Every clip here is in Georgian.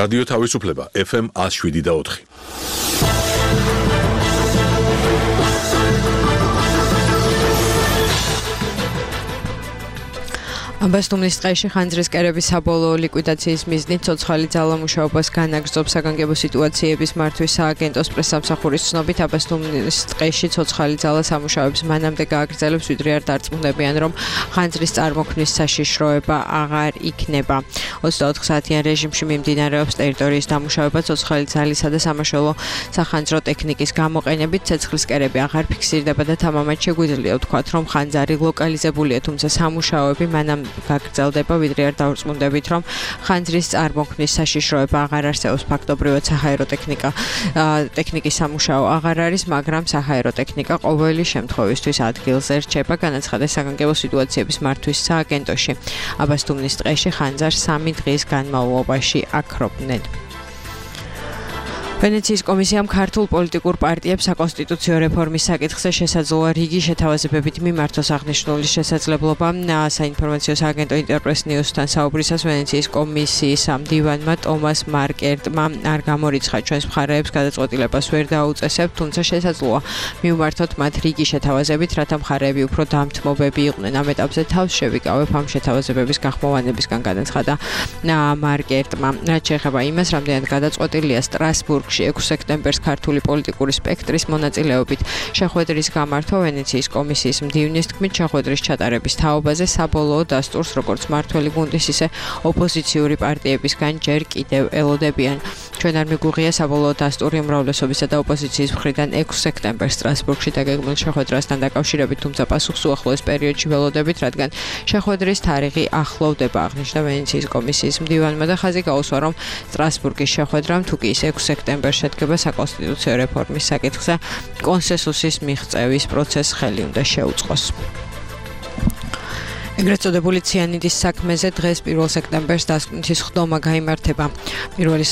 რადიო თავისუფლება FM 107.4. Აბასთუმნის ტყეში ხანძრის კერების საბოლოო ლიკვიდაციის მიზნით ცოცხალი ძალა მუშაობას განაგრძობს საგანგებო სიტუაციების მართვის სააგენტოს პრესსამსახურის ცნობით აბასთუმნის ტყეში ცოცხალი ძალა სამუშაოებს მანამდე გააგრძელებს ვიდრე არ დარწმუნდებიან რომ ხანძრის წარმოქმნის საშიშროება აღარ იქნება 24 საათიან რეჟიმში მიმდინარეობს ტერიტორიის დამუშავება ცოცხალი ძალისა და სამაშველო სახანძრო ტექნიკის გამოყენებით ცეცხლის კერები აღარ ფიქსირდება და თამამად შეგვიძლია ვთქვათ რომ ხანძარი ლოკალიზებულია თუმცა სამუშაოები მანამ გაგრძელდება ვიდრე არ დავწმუნდებით რომ ხანძრის წარმოქმნის საშიშროება აღარ არსებობს ფაქტობრივად საჰაერო ტექნიკის სამუშაო აღარ არის მაგრამ საჰაერო ტექნიკა ყოველი შემთხვევისთვის ადგილზე რჩება განაცხადეს საგანგებო სიტუაციების მართვის სააგენტოში აბასთუმნის ტყეში ხანძარს 3 დღის განმავლობაში აქრობდნენ ვენეციის კომისიამ ქართულ პოლიტიკურ პარტიებს საკონსტიტუციო რეფორმის საკითხზე შესაძლოა რიგი შეთავაზებებით მიმართოს აღნიშნული შესაძლებლობა საინფორმაციო სააგენტო ინტერპრეს ნიუსთან საუბრისას ვენეციის კომისიის მდივანმა ტომას მარკერტმა არ გამორიცხა ჩვენს მხარეებს გადაწყვეტილებას ვერ დაუწესებთ თუმცა შესაძლოა მივმართოთ მათ რიგი შეთავაზებით რათა მხარეები უფრო დამთმობები იყვნენ ამ ეტაპზე თავს შევიკავებ ამ შეთავაზებების გახმოვანებისგან განაცხადა მარკერტმა რაც შეეხება იმას რამდენად გადაწყვეტილია სტრასბურგში 6 სექტემბერს ქართული პოლიტიკური სპექტრის მონაწილეობით შეხვედრის გამართვა ვენეციის კომისიის მდივნის თქმით შეხვედრის ჩატარების თაობაზე საბოლოო დასტურს როგორც მართველი გუნდის ისე ოპოზიციური პარტიებისგან ჯერ კიდევ ელოდებიან ჩვენ არ მიგუღია საბოლოო დასტური უმრავლესობისა და ოპოზიციის მხრიდან 6 სექტემბერს სტრასბურგში დაგეგმილ შეხვედრასთან დაკავშირებით თუმცა პასუხს უახლოეს პერიოდში ველოდებით რადგან შეხვედრის თარიღი ახლოვდება აღნიშნა ვენეციის კომისიის მდივანმა და ხაზი გაუსვა რომ სტრასბურგის შეხვედრამ თუ კი 6 სექტემბერს შედგება საკონსტიტუციო რეფორმის საკითხზე კონსენსუსის მიღწევის პროცესს ხელი უნდა შეუწყოს. ეგრეთ წოდებული ციანიდის საქმეზე დღეს 1 სექტემბერს დასკვნითი სხდომა გაიმართება. პირველი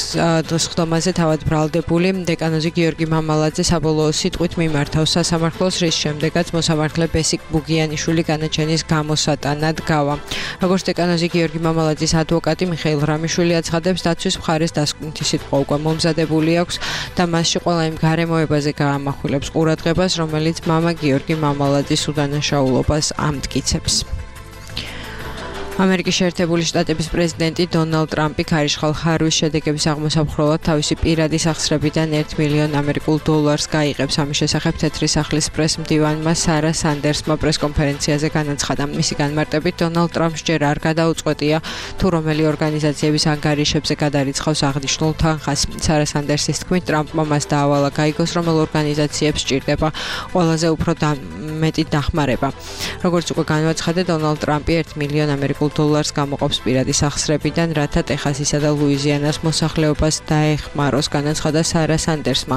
სხდომაზე თავად ბრალდებული დეკანოზი გიორგი მამალაძე საბოლოო სიტყვით მიმართავს სასამართლოს რის შემდეგაც მოსამართლე ბესიკ ბუგიანიშვილი განაჩენის გამოსატანად გავა. როგორც დეკანოზი გიორგი მამალაძის ადვოკატი მიხეილ რამიშვილი აცხადებს დაცვის მხარეს დასკვნითი სიტყვა უკვე მომზადებული აქვს და მასში ყველა იმ გარემოებაზე გაამახვილებს ყურადღებას რომელიც მამა გიორგი მამალაძის უდანაშაულობას ამტკიცებს. ამერიკის შეერთებული შტატების პრეზიდენტი დონალდ ტრამპი ქარიშხალ ხარვის შედეგების აღმოსაფხვრელად თავისი პირადი სახსრებიდან $1 მილიონ გაიღებს. ამის შესახებ თეთრი სახლის პრესმდივანმა სარა სანდერსმა პრესკონფერენციაზე განაცხადა. მისი განმარტებით დონალდ ტრამპს ჯერ არ გადაუწყვეტია თუ რომელი ორგანიზაციების ანგარიშებზე გადარიცხავს აღნიშნულ თანხას. სარა სანდერსის თქმით ტრამპმა მას დაავალა გაიგოს რომელ ორგანიზაციებს სჭირდება ყველაზე უფრო მეტი დახმარება. როგორც უკვე განაცხადა დონალდ ტრამპი $1 მილიონ გამოყოფს პირადი სახსრებიდან, რათა ტეხასისა და ლუიზიანას მოსახლეობას დაეხმაროს, განაცხადა სარა სანდერსმა.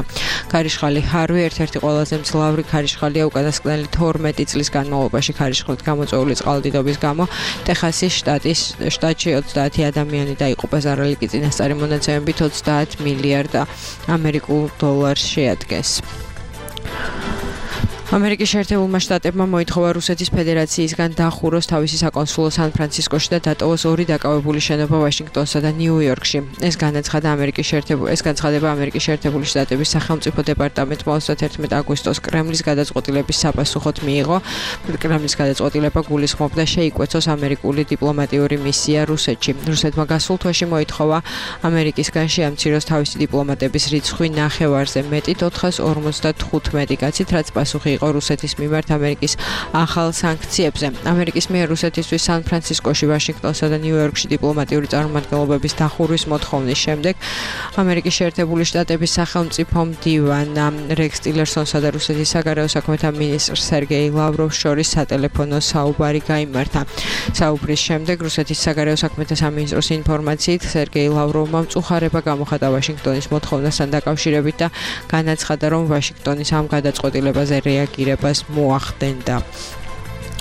ქარიშხალი ჰარვი ერთ-ერთი ყველაზე მძლავრი ქარიშხალია უკანასკნელი 12 წლის განმავლობაში ქარიშხლით გამოწვეული წყალდიდობის გამო. ტეხასის შტატში 30 ადამიანი დაიღუპა, ზარალიკი წინასწარი მონაცემებით $30 მილიარდ შეადგენს. ამერიკის შეერთებულმა შტატებმა მოითხოვა რუსეთის ფედერაციისგან დახუროს თავისი საკონსულო სან-ფრანცისკოში და დატოვოს 2 დაკავებული შენობა ვაშინგტონსა და ნიუ-იორკში. ეს განაცხადება ამერიკის შეერთებული შტატების სახელმწიფო დეპარტამენტმა 31 აგვისტოს კრემლის გადაწყვეტილების საპასუხოდ მიიღო. კრემლის გადაწყვეტილება გულისხმობდა შეიკვეცოს ამერიკული დიპლომატიური მისია რუსეთში. რუსეთმა გასულ თვეში მოითხოვა ამერიკისგან შეამციროს თავისი დიპლომატების რიცხვი ნახევარზე მეტით 455 კაცით, რაც პასუხი იყო რუსეთის მიმართ ამერიკის ახალ სანქციებზე. ამერიკის მიერ რუსეთისთვის სან-ფრანცისკოში, ვაშინგტონსა და ნიუ-იორკში დიპლომატიური წარმომადგენლობების დახურვის მოთხოვნის შემდეგ ამერიკის შეერთებული შტატების სახელმწიფო მდივან რექს ტილერსონსა და რუსეთის საგარეო საქმეთა მინისტრ სერგეი ლავროვს შორის სატელეფონო საუბარი გაიმართა. საუბრის შემდეგ რუსეთის საგარეო საქმეთა სამინისტროს ინფორმაციით სერგეი ლავროვმა მწუხარება გამოხატა ვაშინგტონის მოთხოვნასთან დაკავშირებით და განაცხადა, რომ ვაშინგტონის ამ გადაწყვეტილებაზე რეაგირებას მოახდენდა.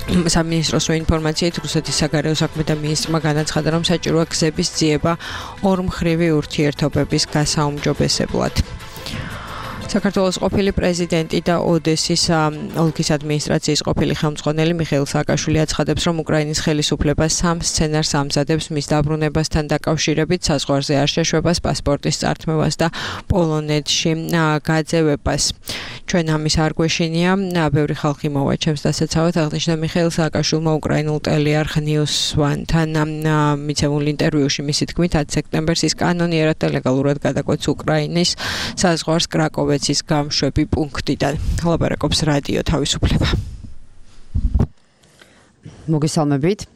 სამინისტროს ინფორმაციით რუსეთის საგარეო საქმეთა მინისტრმა განაცხადა, რომ საჭიროა გზების ძიება ორმხრივი ურთიერთობების გასაუმჯობესებლად. საქართველოს ყოფილი პრეზიდენტი და ოდესის ოლქის ადმინისტრაციის ყოფილი ხელმძღვანელი მიხეილ სააკაშვილი აცხადებს, რომ უკრაინის ხელისუფლება სამ სცენარს ამზადებს მის დაბრუნებასთან დაკავშირებით, საზღვარზე არ შეშვებას, პასპორტის წართმევას და პოლონეთში გაძევებას. ჩვენ ამის არ გვეშინია, ბევრი ხალხი მოვა ჩემს დასაცავად, აღნიშნა მიხეილ სააკაშვილმა უკრაინულ ტელეარხ News One-თან მიცემულ ინტერვიუში მისი თქმით 10 სექტემბერს ის კანონიერად და ლეგალურად გადაკვეთს უკრაინის საზღვარს კრაკოვეცის გამშვები პუნქტიდან. ლაპარაკობს რადიო თავისუფლება. მოგესალმებით.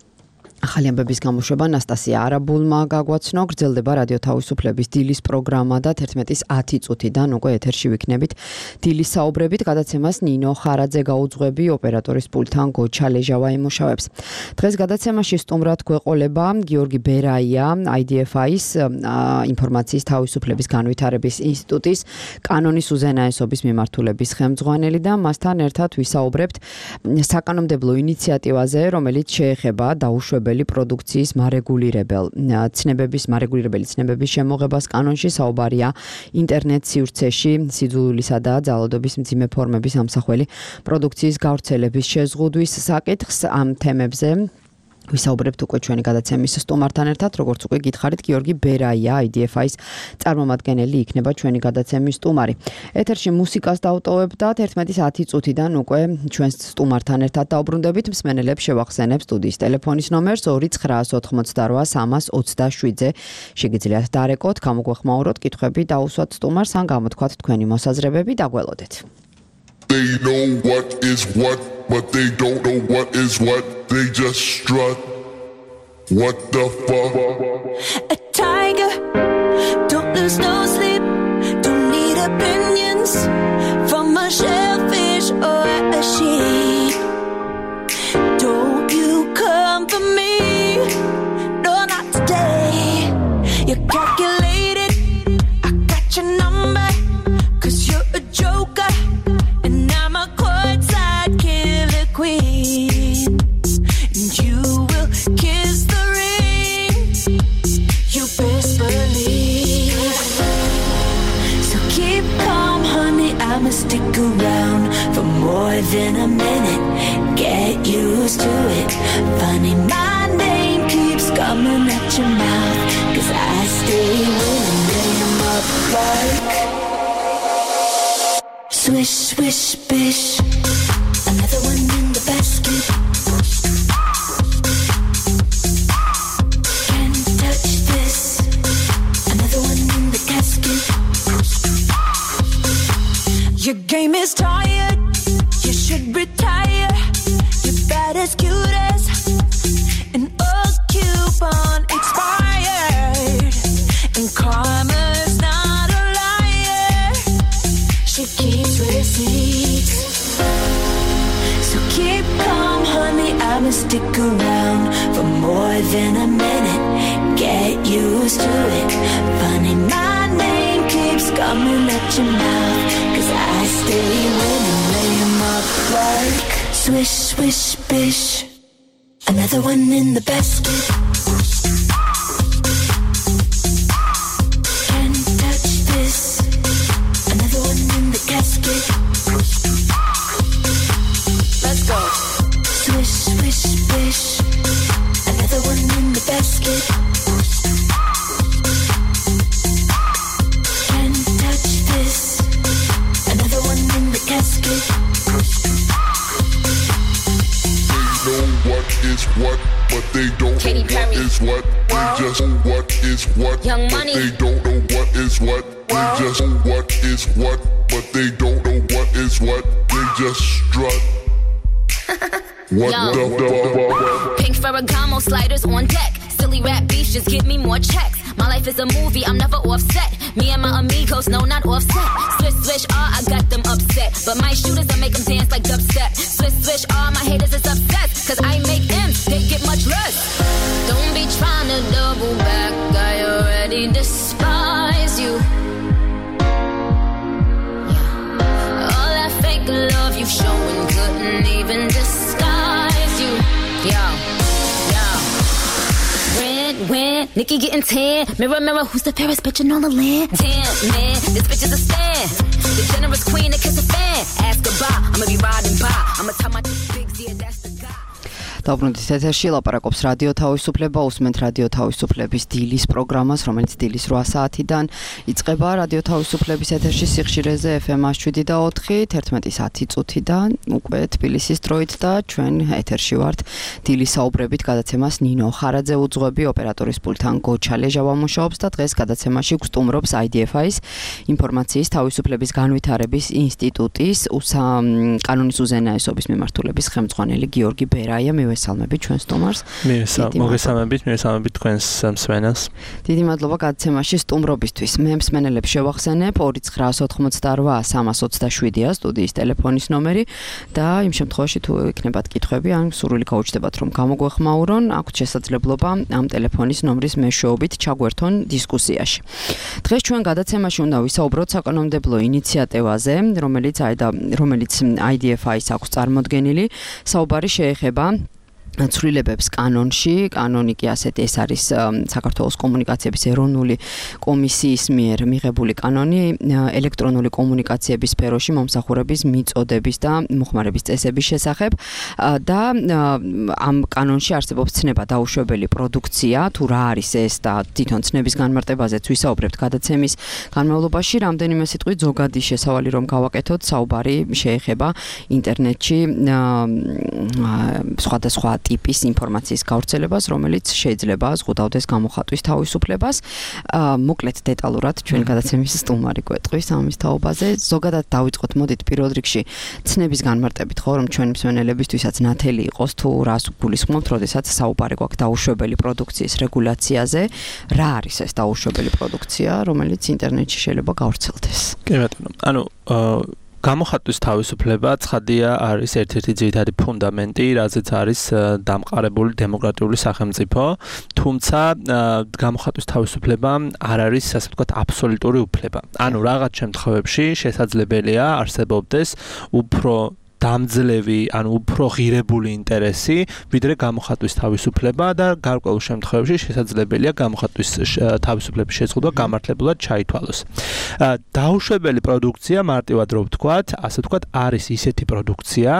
ახალი ამბების გამოშვება ნასტასია არაბულმა გაგვაცნო, გრძელდება რადიო თავისუფლების დილის პროგრამა და 11:10 წუთიდან უკვე ეთერში ვიქნებით დილის საუბრებით. გადაცემას ნინო ხარაძე გაუძღვები, ოპერატორის პულტთან გოჩა ლეჟავა იმუშავებს. დღეს გადაცემაში სტუმრად გვეყოლება გიორგი ბერაია, IDFI-ის ინფორმაციის თავისუფლების განვითარების ინსტიტუტის კანონის უზენაესობის მიმართულების ხელმძღვანელი და მასთან ერთად ვისაუბრებთ საკანონმდებლო ინიციატივაზე, რომელიც შეეხება დაუშვებელი პროდუქციის მარეგულირებელი ცნებების შემოღებას კანონში. საუბარია ინტერნეტ სივრცეში სიძულვილისა და ძალადობის მძიმე ფორმების ამსახველი პროდუქციის გავრცელების შეზღუდვის საკითხს. ამ თემებზე ვისაუბრებთ უკვე ჩვენი გადაცემის სტუმართან ერთად, როგორც უკვე გითხარით, გიორგი ბერაია, IDFI-ის წარმომადგენელი იქნება ჩვენი გადაცემის სტუმარი. ეთერში მუსიკას დავტოვებ და 11:10 წუთიდან უკვე ჩვენს სტუმართან ერთად დაუბრუნდებით. მსმენელებს შევახსენებ სტუდიის ტელეფონის ნომერს 298-328-27-ზე. შეგიძლიათ დარეკოთ, გამოგვეხმაუროთ, კითხვები დაუსვათ სტუმარს ან გამოთქვათ თქვენი მოსაზრებები და გველოდეთ. They know what is what, but they don't know what is what. They just strut. What the fuck? A tiger, don't lose no sleep. Don't need opinions from a shellfish or a sheep. Don't you come for me? No, not today. You're calculated. I got your number, 'cause you're a joker. And I'm a courtside killer queen. And you will kiss the ring. You best believe. So keep calm, honey. I'ma stick around for more than a minute. Get used to it. Funny, my name keeps coming at your mouth. 'Cause I stay winning. Name up like swish, swish, bish. Another one in the basket. Can't touch this. Another one in the casket. Your game is tired. You should retire. You're bad as cute as an old coupon expired. And karma's not a liar. She keeps receipts. So keep calm, honey, I'ma stick around for more than a minute. Get used to it. Funny, my name keeps coming at your mouth. 'Cause I stay winning, lay 'em up like swish, swish, bish. Another one in the basket. Can't touch this. Another one in the casket. Let's go. Swish, swish, bish. Another one in the basket. Can't touch this. Another one in the casket. They know what is what, but they don't Katy know what Perry. is what. They just know what is what, Young but Money. they don't know what is what. They just know what is what, but they don't know what is what. They just strut. What Yo. the fuck? Pink Ferragamo sliders on deck. Silly rap beefs, just give me more checks. My life is a movie, I'm never offset. Me and my amigos, no, not offset. Swish, swish, I got them upset. But my shooters, I make them dance like dubstep. Swish, swish, my haters is obsessed. 'Cause I make M's, they get much less. Don't be trying to double back, I already despise you. All that fake love you've shown couldn't even disguise you. Yo. Win, Nikki getting tan. Mirror, mirror, who's the fairest bitch in all the land? Damn, man, this bitch is a stand. The generous queen to kiss a fan. Ask goodbye. I'ma be riding by. I'ma tell my big yeah, that's the guy. დაუბრუნდით ეთერში ლაპარაკობს რადიო თავისუფლება, უსმენთ რადიო თავისუფლების დილის პროგრამას, რომელიც დილის 8 საათიდან იწყება რადიო თავისუფლების ეთერში სიხშირეზე FM 107.4, 11:10 წუთიდან უკვე თბილისის დროით და ჩვენ ეთერში ვართ დილის საუბრებით გადაცემას ნინო ხარაძე უძღვები, ოპერატორის პულტთან გოჩა ლეჟავა მუშაობს და დღეს გადაცემაში გვსტუმრობს IDFI-ის ინფორმაციის თავისუფლების განვითარების ინსტიტუტის კანონის უზენაესობის მიმართულების ხელმძღვანელი გიორგი ბერაია. მივესალმებით ჩვენ სტუმარს. მოგესალმებით თქვენს მსმენელს. დიდი მადლობა გადაცემაში სტუმრობისთვის. მე მსმენელებს შევახსენებ 2988 327-ია სტუდიის ტელეფონის ნომერი და იმ შემთხვევაში თუ იქნებათ კითხვები ან სურვილი გაუჩნდებათ რომ გამოგვეხმაურონ, აქვთ შესაძლებლობა ამ ტელეფონის ნომრის მეშვეობით ჩაგვერთონ დისკუსიაში. დღეს ჩვენ გადაცემაში უნდა ვისაუბროთ საკანონმდებლო ინიციატივაზე, რომელიც IDFI-ს აქვს წარმოდგენილი. საუბარი შეეხება ცვლილებებს კანონში, კანონი კი ასეთი ეს არის საქართველოს კომუნიკაციების ეროვნული კომისიის მიერ მიღებული კანონი ელექტრონული კომუნიკაციების სფეროში მომსახურების მიწოდების და მოხმარების წესების შესახებ და ამ კანონში არსებობს ცნება დაუშვებელი პროდუქცია, თუ რა არის ეს და თვითონ ცნების განმარტებაზეც ვისაუბრებთ გადაცემის განმავლობაში, რამდენიმე სიტყვით ზოგადი შესავალი რომ გავაკეთოთ, საუბარი შეეხება ინტერნეტში სხვადასხვა ტიპის ინფორმაციის გავრცელებას, რომელიც შეიძლება ზღუდავდეს გამოხატვის თავისუფლებას. მოკლედ დეტალურად ჩვენ გადაცემის სტუმარი გვეტყვის ამის თაობაზე. ზოგადად დავიწყოთ, მოდით პირველ რიგში ცნების განმარტებით, ხო, რომ ჩვენი მსმენელებისთვისაც ნათელი იყოს, თუ რას გულისხმობთ, როდესაც საუბარი გვაქვს დაუშვებელი პროდუქციის რეგულაციაზე. რა არის ეს დაუშვებელი პროდუქცია, რომელიც ინტერნეტში შეიძლება გავრცელდეს? კი ბატონო. გამოხატვის თავისუფლება ცხადია არის ერთ-ერთი ძირითადი ფუნდამენტი, რაზეც არის დამყარებული დემოკრატიული სახელმწიფო, თუმცა გამოხატვის თავისუფლება არ არის, ასე ვთქვათ, აბსოლუტური უფლება. ანუ რაღაც შემთხვევებში შესაძლებელია არსებობდეს უფრო დამძლევი, ანუ უფრო ღირებული ინტერესი, ვიდრე გამოხატვის თავისუფლება და გარკვეულ შემთხვევებში შესაძლებელია გამოხატვის თავისუფლების შეზღუდვა გამართლებლად ჩაითვალოს. დაუშვებელი პროდუქცია, მარტივად რო ვთქვათ, ასე ვთქვათ, არის ისეთი პროდუქცია,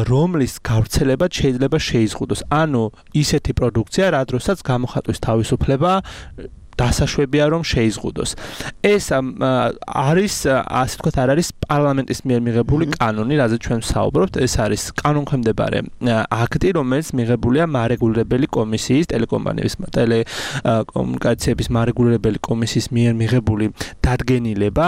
რომლის გავრცელება შეიძლება შეიზღუდოს. ანუ ისეთი პროდუქცია, რა დროსაც გამოხატვის თავისუფლება დასაშვებია რომ შეიზღუდოს. ეს არის, ასე ვთქვათ, არ არის პარლამენტის მიერ მიღებული კანონი, რაზეც ჩვენ ვსაუბრობთ, ეს არის კანონქვემდებარე აქტი, რომელიც მიღებულია მარეგულირებელი კომისიის, ტელეკომუნიკაციების მარეგულირებელი კომისიის მიერ მიღებული დადგენილება,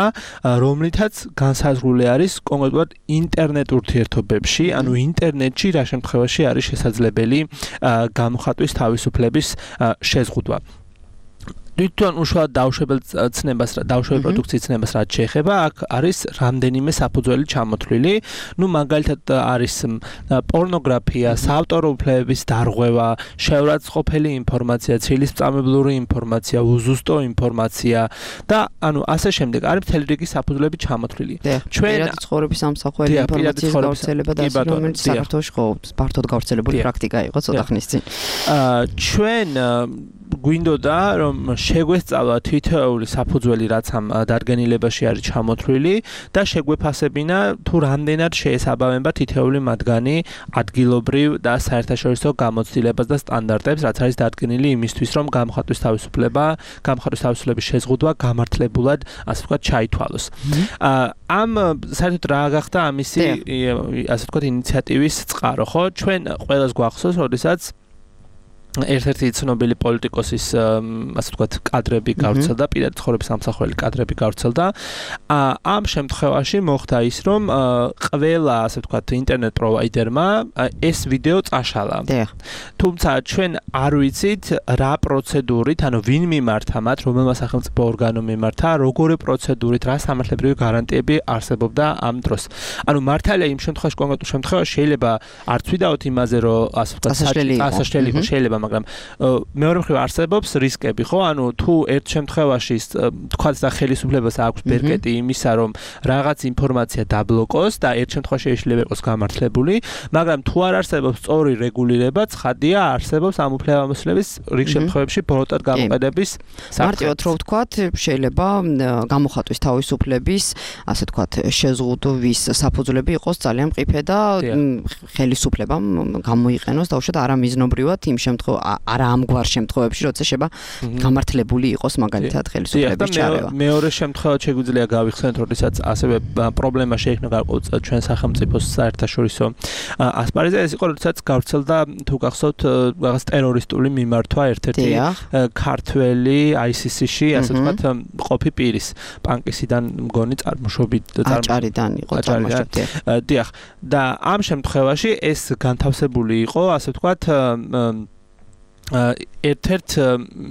რომლითაც განსაზღვრული არის კონკრეტულად ინტერნეტ ურთიერთობებში, ანუ ინტერნეტში რა შემთხვევაში არის შესაძლებელი გამოხატვის თავისუფლების შეზღუდვა. თვითონ უშუალოდ დაუშვებელი პროდუქციის ცნებას რაც შეეხება, აქ არის რამდენიმე საფუძველი ჩამოთვლილი. მაგალითად არის პორნოგრაფია, საავტორო უფლებების დარღვევა, შეურაცხყოფელი ინფორმაცია, ცილისწამებლური ინფორმაცია, უზუსტო ინფორმაცია და ასე შემდეგ. არის მთელი რიგი საფუძვლები ჩამოთვლილი. პირადი ცხოვრების ამსახველი ინფორმაციის გავრცელება და ასე, რომელიც საქართველოში ფართოდ გავრცელებული პრაქტიკა იყო ცოტა ხნის წინ. ჩვენ გვინდოდა რომ შეგვესწავლა თითოეული საფუძველი, რაც ამ დადგენილებაში არის ჩამოთვლილი და შეგვეფასებინა თუ რამდენად შეესაბამება თითოეული მათგანი ადგილობრივ და საერთაშორისო გამოცდილებას და სტანდარტებს, რაც არის დადგენილი იმისთვის, რომ გამოხატვის თავისუფლების შეზღუდვა გამართლებულად, ასე ვთქვათ, ჩაითვალოს. ამ საერთოდ რა გახდა ამისი, ასე ვთქვათ, ინიციატივის წყარო, ხო? ჩვენ ყველას გვახსოვს, როდესაც ერთ-ერთი ცნობილი პოლიტიკოსის, ასე ვთქვათ, კადრები გავრცელდა, პირადი ცხოვრების ამსახველი კადრები გავრცელდა. ამ შემთხვევაში მოხდა ის, რომ ყველა, ასე ვთქვათ, ინტერნეტ პროვაიდერმა ეს ვიდეო წაშალა. თუმცა ჩვენ არ ვიცით რა პროცედურით, ანუ ვინ მიმართა მათ, რომელმა სახელმწიფო ორგანომ მიმართა, როგორი პროცედურით, რა სამართლებრივი გარანტიები არსებობდა ამ დროს. ანუ მართალია იმ შემთხვევაში, კონკრეტულ შემთხვევაში შეიძლება არც ვიდაოთ იმაზე, რომ ასე ვთქვათ, სასაშლელი იყო, შეიძლება მაგრამ მეორე მხრივ არსებობს რისკები, ხო? ანუ თუ ერთ შემთხვევაში თქვაც და ხელისუფლებას აქვს ბერკეტი იმისა, რომ რაღაც ინფორმაცია დაბლოკოს და ერთ შემთხვევაში შეიძლება იყოს გამართლებული, მაგრამ თუ არ არსებობს სწორი რეგულირება, ცხადია არსებობს ამ უფლებამოსილების რიგ შემთხვევებში ბოროტად გამოყენების საფრთხე. მარტივად რო ვთქვათ, შეიძლება გამოხატვის თავისუფლების, ასე ვთქვათ, შეზღუდვის საფუძვლები იყოს ძალიან მყიფე და ხელისუფლებამ გამოიყენოს დაუშვათ არამიზნობრივად იმ არა ამგვარ შემთხვევებში, როცა შეიძლება გამართლებული იყოს მაგალითად ხელისუფლების ჩარევა. მეორე შემთხვევაში შეგვიძლია გავიხსენოთ, როდესაც ასევე პრობლემა შეექმნა გარკვეულ ჩვენ სახელმწიფოს საერთაშორისო ასპარეზზე, ეს იყო როდესაც გავრცელდა თუ გახსოვთ რაღაც ტერორისტული მიმართვა ერთ-ერთი ქართველი ICC-ში, ასე ვთქვათ, ყოფი პირის პანკისიდან მგონი წარმოშობით აჭარიდან იყო წარმოშობილი. დიახ, და ამ შემთხვევაში ეს განთავსებული იყო, ასე ვთქვათ, ერთ-ერთ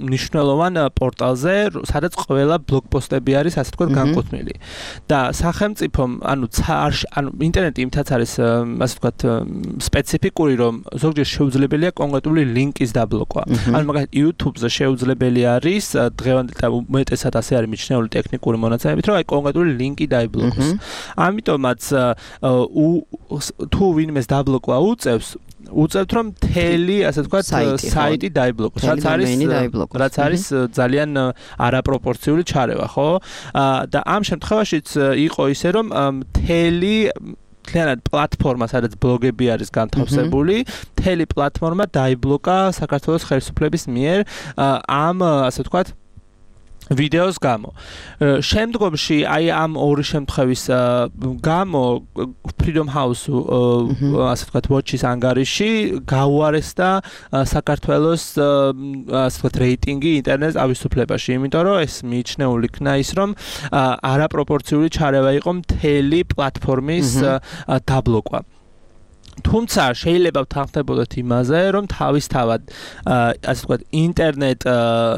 მნიშვნელოვან პორტალზე, სადაც ყველა ბლოგპოსტები არის, ასე ვთქვათ, განკუთვნილი. და სახელმწიფომ, ანუ ინტერნეტი იმითაც არის, ასე ვთქვათ, სპეციფიკური, რომ ზოგჯერ შეუძლებელია კონკრეტული ლინკის დაბლოკვა. ანუ მაგალითად YouTube-ზე შეუძლებელი არის დღევანდელ და უმეტესად ასე არის მიჩნეული ტექნიკური მონაცემებით, რომ აი კონკრეტული ლინკი დაიბლოკოს. ამიტომაც თუ ვინმეს დაბლოკვა უწევთ რომ მთელი ასე ვთქვათ საიტი დაიბლოკოს, რაც არის ძალიან არაპროპორციული ჩარევა, ხო? და ამ შემთხვევაშიც იყო ისე რომ მთელი მთლიანად პლატფორმა, სადაც ბლოგები არის განთავსებული, მთელი პლატფორმა დაიბლოკა საქართველოს ხელისუფლების მიერ ამ ასე ვთქვათ ვიდეოს გამო. შემდგომში აი ამ ორი შემთხვევის გამო Freedom House ასე ვთქვათ watch-ის ანგარიში გაუარესდა საქართველოს ასე ვთქვათ რეიტინგი ინტერნეტ ავისუფლებაში, იმიტომ რომ ეს მიიჩნეულ იქნა ის, რომ არაპროპორციული ჩარევა იყო მთელი პლატფორმის დაბლოკვა. თუმცა შეიძლება ვთანხმდებოდეთ იმაზე, რომ თავისთავად ასე ვთქვათ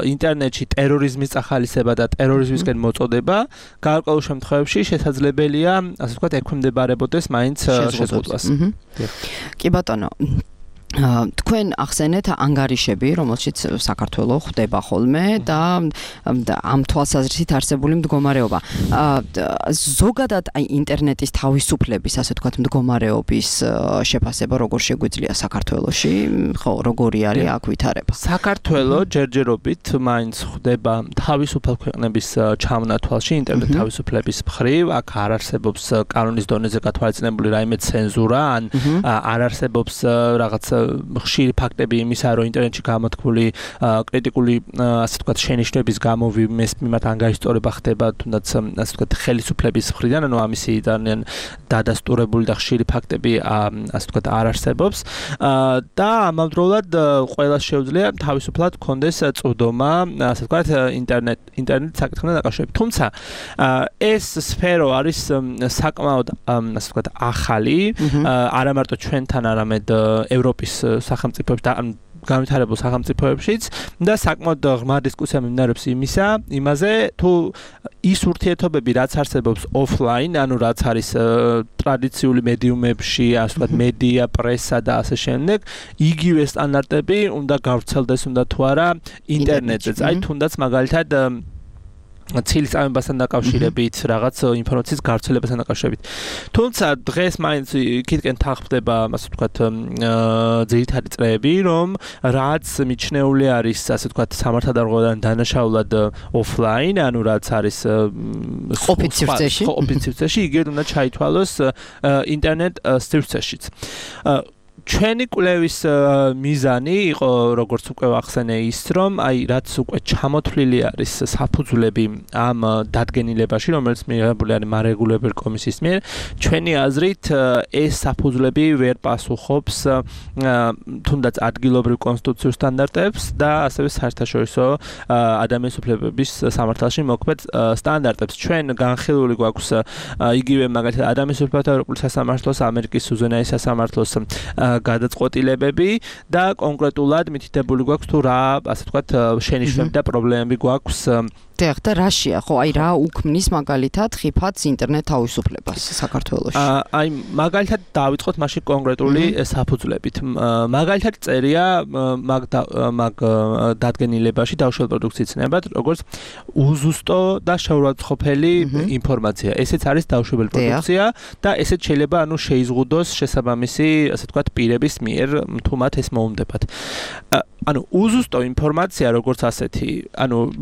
ინტერნეტში ტერორიზმის წახალისება და ტერორიზმისკენ მოწოდება გარკვეულ შემთხვევებში შესაძლებელია, ასე ვთქვათ, ექვემდებარებოდეს მაინც შეზღუდვას. კი ბატონო, თქვენ ახსენეთ ანგარიშები, რომელშიც საქართველო ხვდება ხოლმე და ამ თვალსაზრისით არსებული მდგომარეობა. ზოგადად აი ინტერნეტის თავისუფლების, ასე ვთქვათ, მდგომარეობის შეფასება როგორ შეგვიძლია საქართველოში? ხო, როგორი არის აქ ვითარება? საქართველო ჯერჯერობით მაინც ხვდება თავისუფალ ქვეყნების ჩამონათვალში ინტერნეტ თავისუფლების მხრივ. აქ არ არსებობს კანონის დონეზე გათვალისწინებული რაიმე ცენზურა, ან არ არსებობს რაღაც ხშირი ფაქტები იმისა, რომ ინტერნეტში გამოთქმული კრიტიკული, ასე ვთქვათ, შენიშვნების გამო ვინმეს მიმართ ანგარიშწორება ხდება, თუნდაც ასე ვთქვათ, ხელისუფლების მხრიდან, ანუ ამისი ძალიან დადასტურებული და ხშირი ფაქტები, ასე ვთქვათ, არ არსებობს. და ამავდროულად ყველას შეუძლია თავისუფლად კონდეს წვდომა, ასე ვთქვათ, ინტერნეტ საკითხთან დაკავშირებით. თუმცა ეს სფერო არის საკმაოდ, ასე ვთქვათ, ახალი, არა მარტო ჩვენთან, არამედ ევროპის სახელმწიფოებში და განვითარებულ სახელმწიფოებშიც და საკმაოდ ღრმა დისკუსია მიმდინარეობს იმაზე, თუ ის ურთიერთობები, რაც არსებობს ოფლაინ, ანუ რაც არის ტრადიციული მედიუმებში, ასე ვთქვათ, მედია, პრესა და ასე შემდეგ, იგივე სტანდარტები უნდა გავრცელდეს, უნდა თუ არა ინტერნეტზეც. აი თუნდაც მაგალითად ცილის წამებასთან დაკავშირებით, რაღაც ინფორმაციის გავრცელებასთან დაკავშირებით. თუმცა დღეს მაინც იქითკენ თანხმდება, ასე ვთქვათ, ძირითადი წრეები, რომ რაც მიჩნეული არის, ასე ვთქვათ, სამართალდამცავად დანაშაულად ოფლაინ, ანუ რაც არის ყოფით სივრცეში, იგივე უნდა ჩაითვალოს ინტერნეტ სივრცეშიც. ჩვენი კვლევის მიზანი იყო, როგორც უკვე ვახსენე, ის, რომ აი რაც უკვე ჩამოთვლილი არის საფუძვლები ამ დადგენილებაში, რომელიც მიღებული არის მარეგულირებელ კომისიის მიერ, ჩვენი აზრით ეს საფუძვლები ვერ პასუხობს თუნდაც ადგილობრივ კონსტიტუციურ სტანდარტებს და ასევე საერთაშორისო ადამიანის უფლებების სამართალში მოქმედ სტანდარტებს. ჩვენ განხილული გვაქვს იგივე მაგალითად ადამიანის უფლებათა ევროპული სასამართლოს, ამერიკის უზენაეს სასამართლოს გადაწყვეტილებები და კონკრეტულად მითითებული გვაქვს თუ რა, ასე ვთქვათ, შენიშვნები და პრობლემები გვაქვს დიახ, და რაშია, ხო, აი რა უქმნის მაგალითად ხიფათს ინტერნეტ თავისუფლებას საქართველოში? აი მაგალითად დავიწყოთ მაშინ კონკრეტული საფუძვლებით. მაგალითად წერია მაგ დადგენილებაში დაუშვებელ პროდუქციის ცნებად, როგორც უზუსტო და შეურაცხყოფელი ინფორმაცია. ესეც არის დაუშვებელი პროდუქცია და ესეც შეიძლება შეიზღუდოს შესაბამისი, ასე ვთქვათ, პირების მიერ, თუ მათ ეს მოუნდებათ. უზუსტო ინფორმაცია როგორც ასეთი,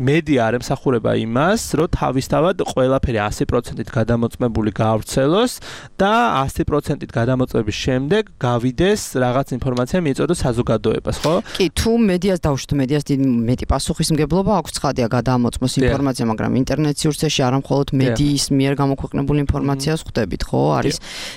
მედია არ ემსახურება იმას, რომ თავისთავად ყველაფერი 100%-ით გადამოწმებული გაავრცელოს და 100%-ით გადამოწმების შემდეგ გავიდეს რაღაც ინფორმაცია მიეწოდოს საზოგადოებას, ხო? კი, თუ მედიას დავუშვით, მედიას მეტი პასუხისმგებლობა აქვს, ცხადია გადამოწმოს ინფორმაცია, მაგრამ ინტერნეტ სივრცეში არ მხოლოდ მედიის მიერ გამოქვეყნებული ინფორმაციას ხვდებით, ხო? არის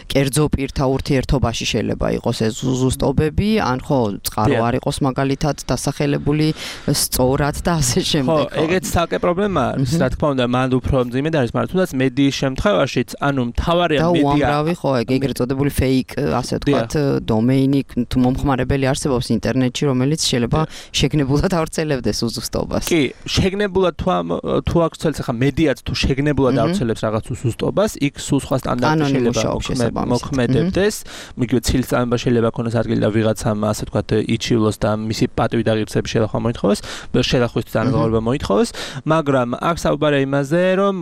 კერძო პირთა ურთიერთობაში შეიძლება იყოს ეს უზუსტობები, ან ხო, წყარო არ იყოს მაგალითად დასახელებული სწორად და ასე შემდეგ. ხო, ეგეც საკე პრობლემა არის, რა თქმა უნდა, მან უფრო მძიმე არის, მაგრამ თუნდაც მედიის შემთხვევაშიც, მთავარია მედია. და უამრავი ხო, ეგრეთ წოდებული fake, ასე ვთქვათ, დომეინი თუ მომხმარებელი არსებობს ინტერნეტში, რომელიც შეიძლება შეგნებულად ავრცელებდეს უზუსტობას. კი, შეგნებულად თუ ავრცელებს, ახლა მედიაც თუ შეგნებულად ავრცელებს რაღაც უზუსტობას, იქ სულ სხვა სტანდარტი შეიძლება მოქმედებდეს. მიგივე ცილისწამება შეიძლება ქონდეს ადგილი და ვიღაცამ, ასე ვთქვათ, იჩივლოს და მისი პატივი და ღირსების შედახვა მოითხოვოს, შედახვის დანადგურება მოითხოვოს, მაგრამ აქ საუბარია იმაზე, რომ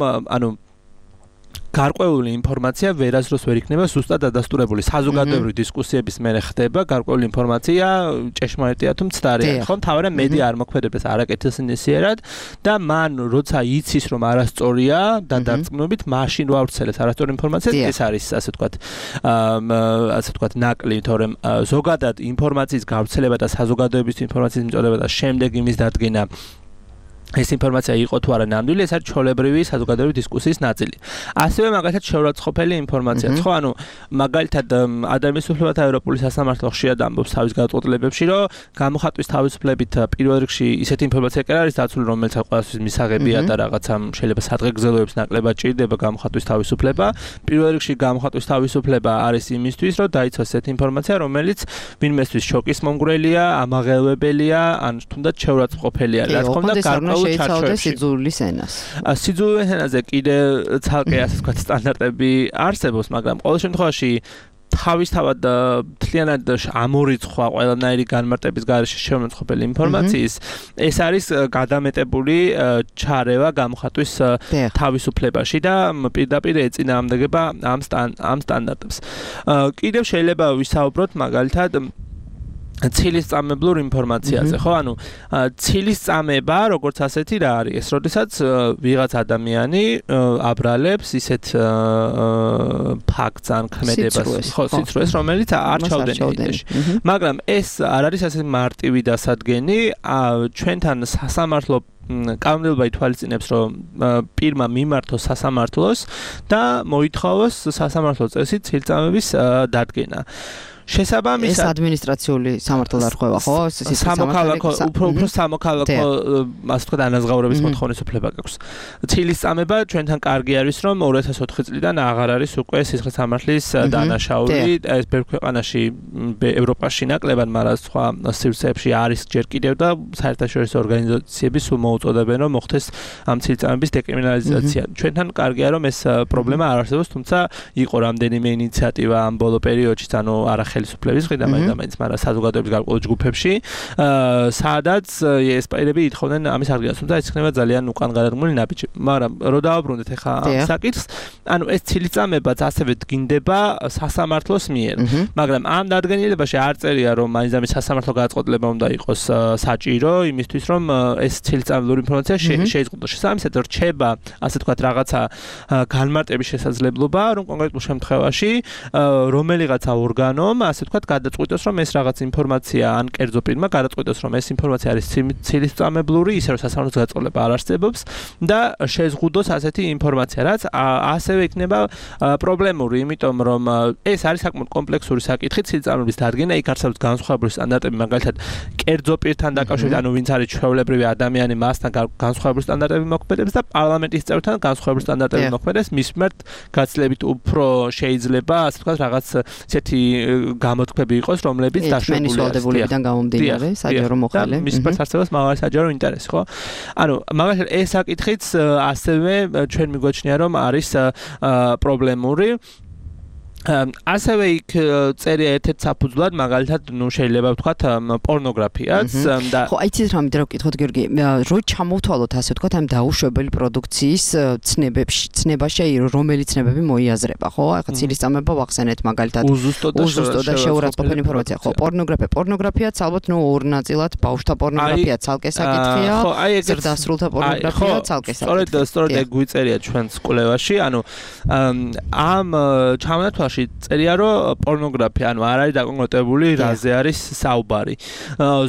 გარკვეული ინფორმაცია ვერასდროს ვერ იქნება ზუსტად დადასტურებული. საზოგადოებრივი დისკუსიების მერე ხდება გარკვეული ინფორმაცია ჭეშმარიტია თუ მცდარია. ხო, თავარია მედია არ მოქმედებს არაკეთილსინისიერად და მან როცა იცის რომ არასწორია და დარწმუნებით მაშინ რო ავრცელებს არასწორი ინფორმაცია, ეს არის ასე ვთქვათ ნაკლი, თორემ ზოგადად ინფორმაციის გავრცელება და საზოგადოების ინფორმაციის მიწოდება და შემდეგ იმის დადგენა ეს ინფორმაცია იყო თუ არა ნამდვილი, ეს არის ჩვეულებრივი საზოგადოებრივი დისკუსიის ნაწილი. ასევე მაგალითად შეურაცხყოფელი ინფორმაციაც, ხო, მაგალითად ადამიანის უფლებათა ევროპული სასამართლო ხშირად ამბობს თავის გადაწყვეტილებებში, რომ გამოხატვის თავისუფლებით პირველ რიგში ისეთი ინფორმაცია კი არის დაცული, რომელიც ყველასთვის მისაღებია და რაღაცა შეიძლება სადღეგრძელოებს ნაკლებად ჭირდება გამოხატვის თავისუფლება. პირველ რიგში გამოხატვის თავისუფლება არის იმისთვის, რომ დაიცვას ესეთი ინფორმაცია, რომელიც ვინმესთვის შოკის მომგვრელია, ამაღელვებელია, ან თუნდაც შეურაცხყოფელია. რა თქმა უნდა, გარკვეულ შეიცავდეს სიძულვის ენას. სიძულვის ენაზე კიდე ცალკე ასე ვთქვათ სტანდარტები არსებობს, მაგრამ ყოველ შემთხვევაში თავისთავად მთლიანად ამორიცხვა ყველანაირი განმარტების გარეშე შეურაცხყოფელი ინფორმაციის ეს არის გადამეტებული ჩარევა გამოხატვის თავისუფლებაში და პირდაპირ ეწინააღმდეგება ამ სტანდარტებს. კიდევ შეიძლება ვისაუბროთ მაგალითად ცილისწამებლურ ინფორმაციაზე, ხო? ცილისწამება, როგორც ასეთი რა არის? ეს როდესაც ვიღაც ადამიანი აბრალებს ისეთ ფაქტს ან ქმედებას, ხო, სიცრუეს, რომელიც არ ჩავდენია. მაგრამ ეს არ არის ასე მარტივი დასადგენი, ჩვენთან სასამართლო კანონმდებლობა ითვალისწინებს, რომ პირმა მიმართოს სასამართლოს და მოითხოვოს სასამართლო წესით ცილისწამების დადგენა. შესაბამისად ეს ადმინისტრაციული სამართალდარღვევა, ხო? სამოქალაქო, უფრო სამოქალაქო, ასე ვთქვათ, ანაზღაურების მოთხოვნის უფლება გაქვს. ცილისწამება ჩვენთან კარგი არის, რომ 2004 წლიდან აღარ არის უკვე სისხლის სამართლის დანაშაული. ეს ბევრ ქვეყანაში ევროპაში ნაკლებად, მაგრამ სხვა სივრცეებში არის ჯერ კიდევ და საერთაშორისო ორგანიზაციები სულ მოუწოდებენ, რომ მოხდეს ამ ცილისწამების დეკრიმინალიზაცია. ჩვენთან კარგია, რომ ეს პრობლემა არ არსებობს, თუმცა იყო რამდენიმე ინიციატივა ამ ბოლო პერიოდში, არა ხელისუფლების მხრიდან, მაგრამ საზოგადოების გარკვეულ ჯგუფებში, სადაც ესპაირები ითხოვდნენ ამის აღდგენას, თუმცა ეს იქნება ძალიან უკან გადადგმული ნაბიჯი. მაგრამ რო დავაბრუნდეთ ახლა ამ საკითხს, ეს ცილისწამებაც ასევე დგინდება სასამართლოს მიერ. მაგრამ ამ დადგენილებაში არ წერია, რომ მაინც ამის სასამართლო გადაწყვეტილება უნდა იყოს საჭირო იმისთვის, რომ ეს ცილისწამებლური ინფორმაცია შეიზღუდოს. შესაბამისად, რჩება, ასე ვთქვათ, რაღაცა განმარტების შესაძლებლობა, რომ კონკრეტულ შემთხვევაში რომელიღაცა ორგანომ ასე ვთქვათ, გადაწყვიტოს, რომ ეს რაღაც ინფორმაცია ან კერძო პირმა გადაწყვიტოს, რომ ეს ინფორმაცია არის ცილისწამებლური, ისე რომ სასამართლოს გადაწყვეტილება არ არსებობს და შეზღუდოს ასეთი ინფორმაცია, რაც ასევე იქნება პრობლემური, იმიტომ რომ ეს არის საკმაოდ კომპლექსური საკითხი, ცილისწამების დადგენა, იქ არსებობს განსხვავებული სტანდარტები, მაგალითად, კერძო პირთან დაკავშირებით, ანუ ვინც არის ჩვეულებრივი ადამიანი, მასთან განსხვავებული სტანდარტები მოქმედებს და პარლამენტის წევრთან განსხვავებული სტანდარტები მოქმედებს, მის მიმართ გაცილებით უფრო შეიძლება, ასე ვთქვათ, რაღაც ისეთი გამოთქმები იყოს, რომლებიც დაშვებული არის. ვალდებულებიდან გამომდინარე, საჯარო მოხელე. მის პასარსებას მაგარი საჯარო ინტერესი, ხო? ანუ მაგალითად ეს საკითხიც ასევე ჩვენ მიგვაჩნია რომ არის პრობლემური. ასევე იქ წერია ერთ-ერთ საფუძვლად მაგალითად შეიძლება ვთქვათ პორნოგრაფიაც და ხო აიცით რა მინდა ვკითხოთ გიორგი რო ჩამოვთვალოთ ასე ვთქვათ ამ დაუშვებელი პროდუქციის ცნებაში რომელიც ცნებები მოიაზრება ხო ახლა ცილისწამება ვახსენეთ მაგალითად უზუსტო და შეურაცხყოფენი ინფორმაცია ხო პორნოგრაფიაც ალბათ ნუ ორ ნაწილად ბავშვთა პორნოგრაფია ცალკე საკითხია ზრდასრულთა პორნოგრაფია ცალკე საკითხია სწორედ ეგ გვიწერია ჩვენს კვლევაში ანუ ამ ჩამონათვალში წერია რომ პორნოგრაფია ანუ არ არის დაკონკრეტებული რაზე არის საუბარი.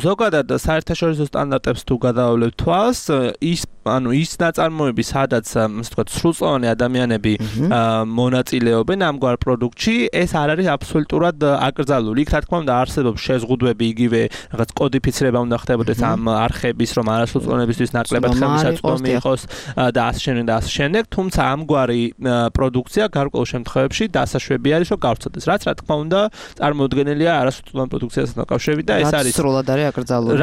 ზოგადად საერთაშორისო სტანდარტებს თუ გადავავლევთ თვალს ის ნაწარმოები სადაც ასე ვთქვათ სრულწლოვანი ადამიანები მონაწილეობენ ამგვარ პროდუქტში ეს არ არის აბსოლუტურად აკრძალული. იქ რა თქმა უნდა არსებობს შეზღუდვები იგივე რაღაც კოდიფიცირება უნდა ხდებოდეს ამ არხების რომ არასრულწლოვანებისთვის ნაკლებად ხელმისაწვდომი იყოს და ასე შემდეგ თუმცა ამგვარი პროდუქცია გარკვეულ შემთხვევებში დასაშვები არის რომ გავრცელდეს რაც რა თქმა უნდა წარმოუდგენელია არასრულწლოვან პროდუქციასთან დაკავშირებით და ეს არის სრულად არის აკრძალული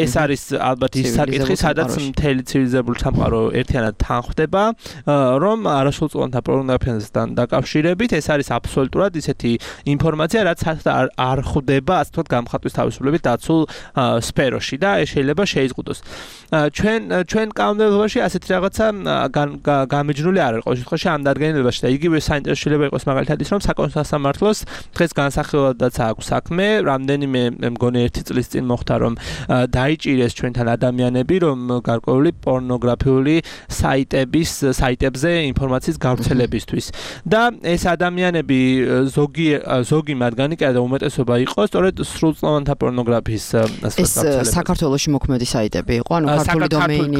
ეს არის ალბათ ის საკითხი სადაც მთელი ცივილიზებული სამყარო ერთიანად თანხდება რომ არასრულწლოვანთა პორნოგრაფიასთან დაკავშირებით ეს არის აბსოლუტურად ისეთი ინფორმაცია რაც არ ხვდება ასე ვთქვათ გამხატვის თავისუფლებით დაცულ სფეროში და ეს შეიძლება შეიზღუდოს ჩვენ კანონმდებლობაში ასეთი რაღაცა გამიჯნული არ არის ყოველ შემთხვევაში ამ დადგენილებაში და იგივე საინტერესო შეიძლება იყოს მაგალითად ის რომ საკონსულტაციო სასამართლოს დღეს განსახილველადაც აქვს საქმე რამდენიმე მგონი 1 წლის წინ მოხდა რომ დაიჭირეს ჩვენთან ადამიანები რომ გარკვეული პორნოგრაფიული საიტებზე ინფორმაციის გავრცელებისთვის და ეს ადამიანები ზოგი მათგანი კი არა და უმეტესობა იყო სწორედ სრულწლოვანთა პორნოგრაფიის ეს საქართველოში მოქმედი საიტები იყო ანუ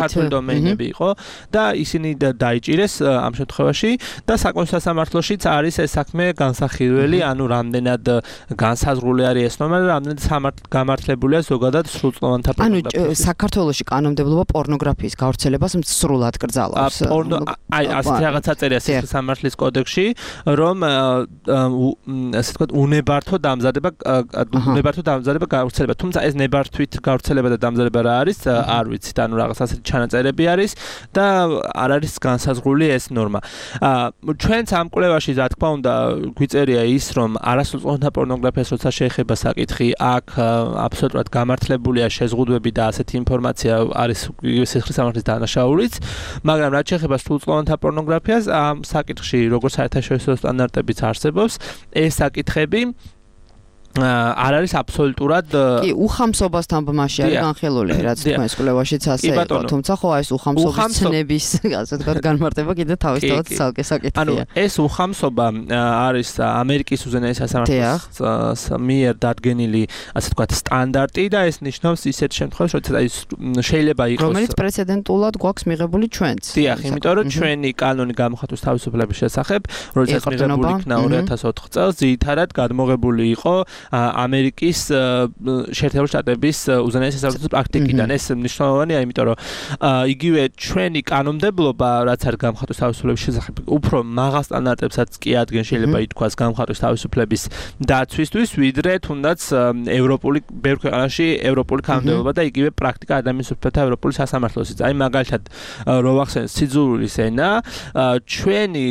ქართული დომეინები იყო და ისინი დაიჭირეს ამ შემთხვევაში და საკონსულტაციო სასამართლოშიც არის ეს საქმე განსახილველი ანუ რამდენად განსაზღვრული არის ეს ნორმა და რამდენად გამართლებულია ზოგადად სრულწლოვანთა პორნოგრაფია ანუ საქართველოში კანონმდებლობა პორნოგრაფიის გავრცელებას სრულად კრძალავს აი ასეთი რაღაცა წერია სისხლის სამართლის კოდექსში რომ ასე ვთქვათ უნებართო დამზადება გავრცელება თუმცა ეს ნებართვით გავრცელება და დამზადება რა არის არ ვიცით ანუ რაღაც ასეთი ჩანაწერები არის და არ არის განსაზღვრული ეს ნორმა ჩვენც ამ კვლევაში რა თქმა უნდა გვიწერია ის რომ არასრულწლოვანთა პორნოგრაფიას როცა შეეხება საკითხი აქ აბსოლუტურად გამართლებულია შეზღუდვები და ასეთი ინფორმაცია არის სისხლის სამართლის დანაშაულიც მაგრამ რაც შეეხება სრულწლოვანთა პორნოგრაფიას ამ საკითხში როგორც საერთაშორისო სტანდარტებიც არსებობს ეს საკითხები არ არის აბსოლუტურად კი უხამსობასთან ბმაში არის განხილული რაც თქვენს კვლევაშიც ასე იყო თუმცა ხო ეს უხამსობის ცნების ასე ვთქვათ განმარტება კიდე თავისთავად ცალკე საკითხია ანუ ეს უხამსობა არის ამერიკის უზენაესი სასამართლოს მიერ დადგენილი ასე ვთქვათ სტანდარტი და ეს ნიშნავს ისეთ შემთხვევაში როცა შეიძლება იყოს რომელიც პრეცედენტულად გვაქვს მიღებული ჩვენც დიახ იმიტომ რომ ჩვენი კანონი გამოხატვის თავისუფლების შესახებ როდესაც მიღებული იქნა 2004 წელს ძირითადად გადმოღებული იყო ამერიკის შეერთებული შტატების უზენაესი სასამართლოს პრაქტიკიდან ეს მნიშვნელოვანია იმიტომ რომ იგივე ჩვენი კანონმდებლობა რაც არის გამხატვის თავისუფლების შესახებ უფრო მაღალ სტანდარტებსაც კი ადგენს შეიძლება ითქვას გამხატვის თავისუფლების დაცვისთვის ვიდრე თუნდაც ევროპული ბევრ ქვეყანაში ევროპული კანონმდებლობა და იგივე პრაქტიკა ადამიანის უფლებათა ევროპული სასამართლოსიც აი მაგალითად რო ვახსენე სიძულვილის ენა ჩვენი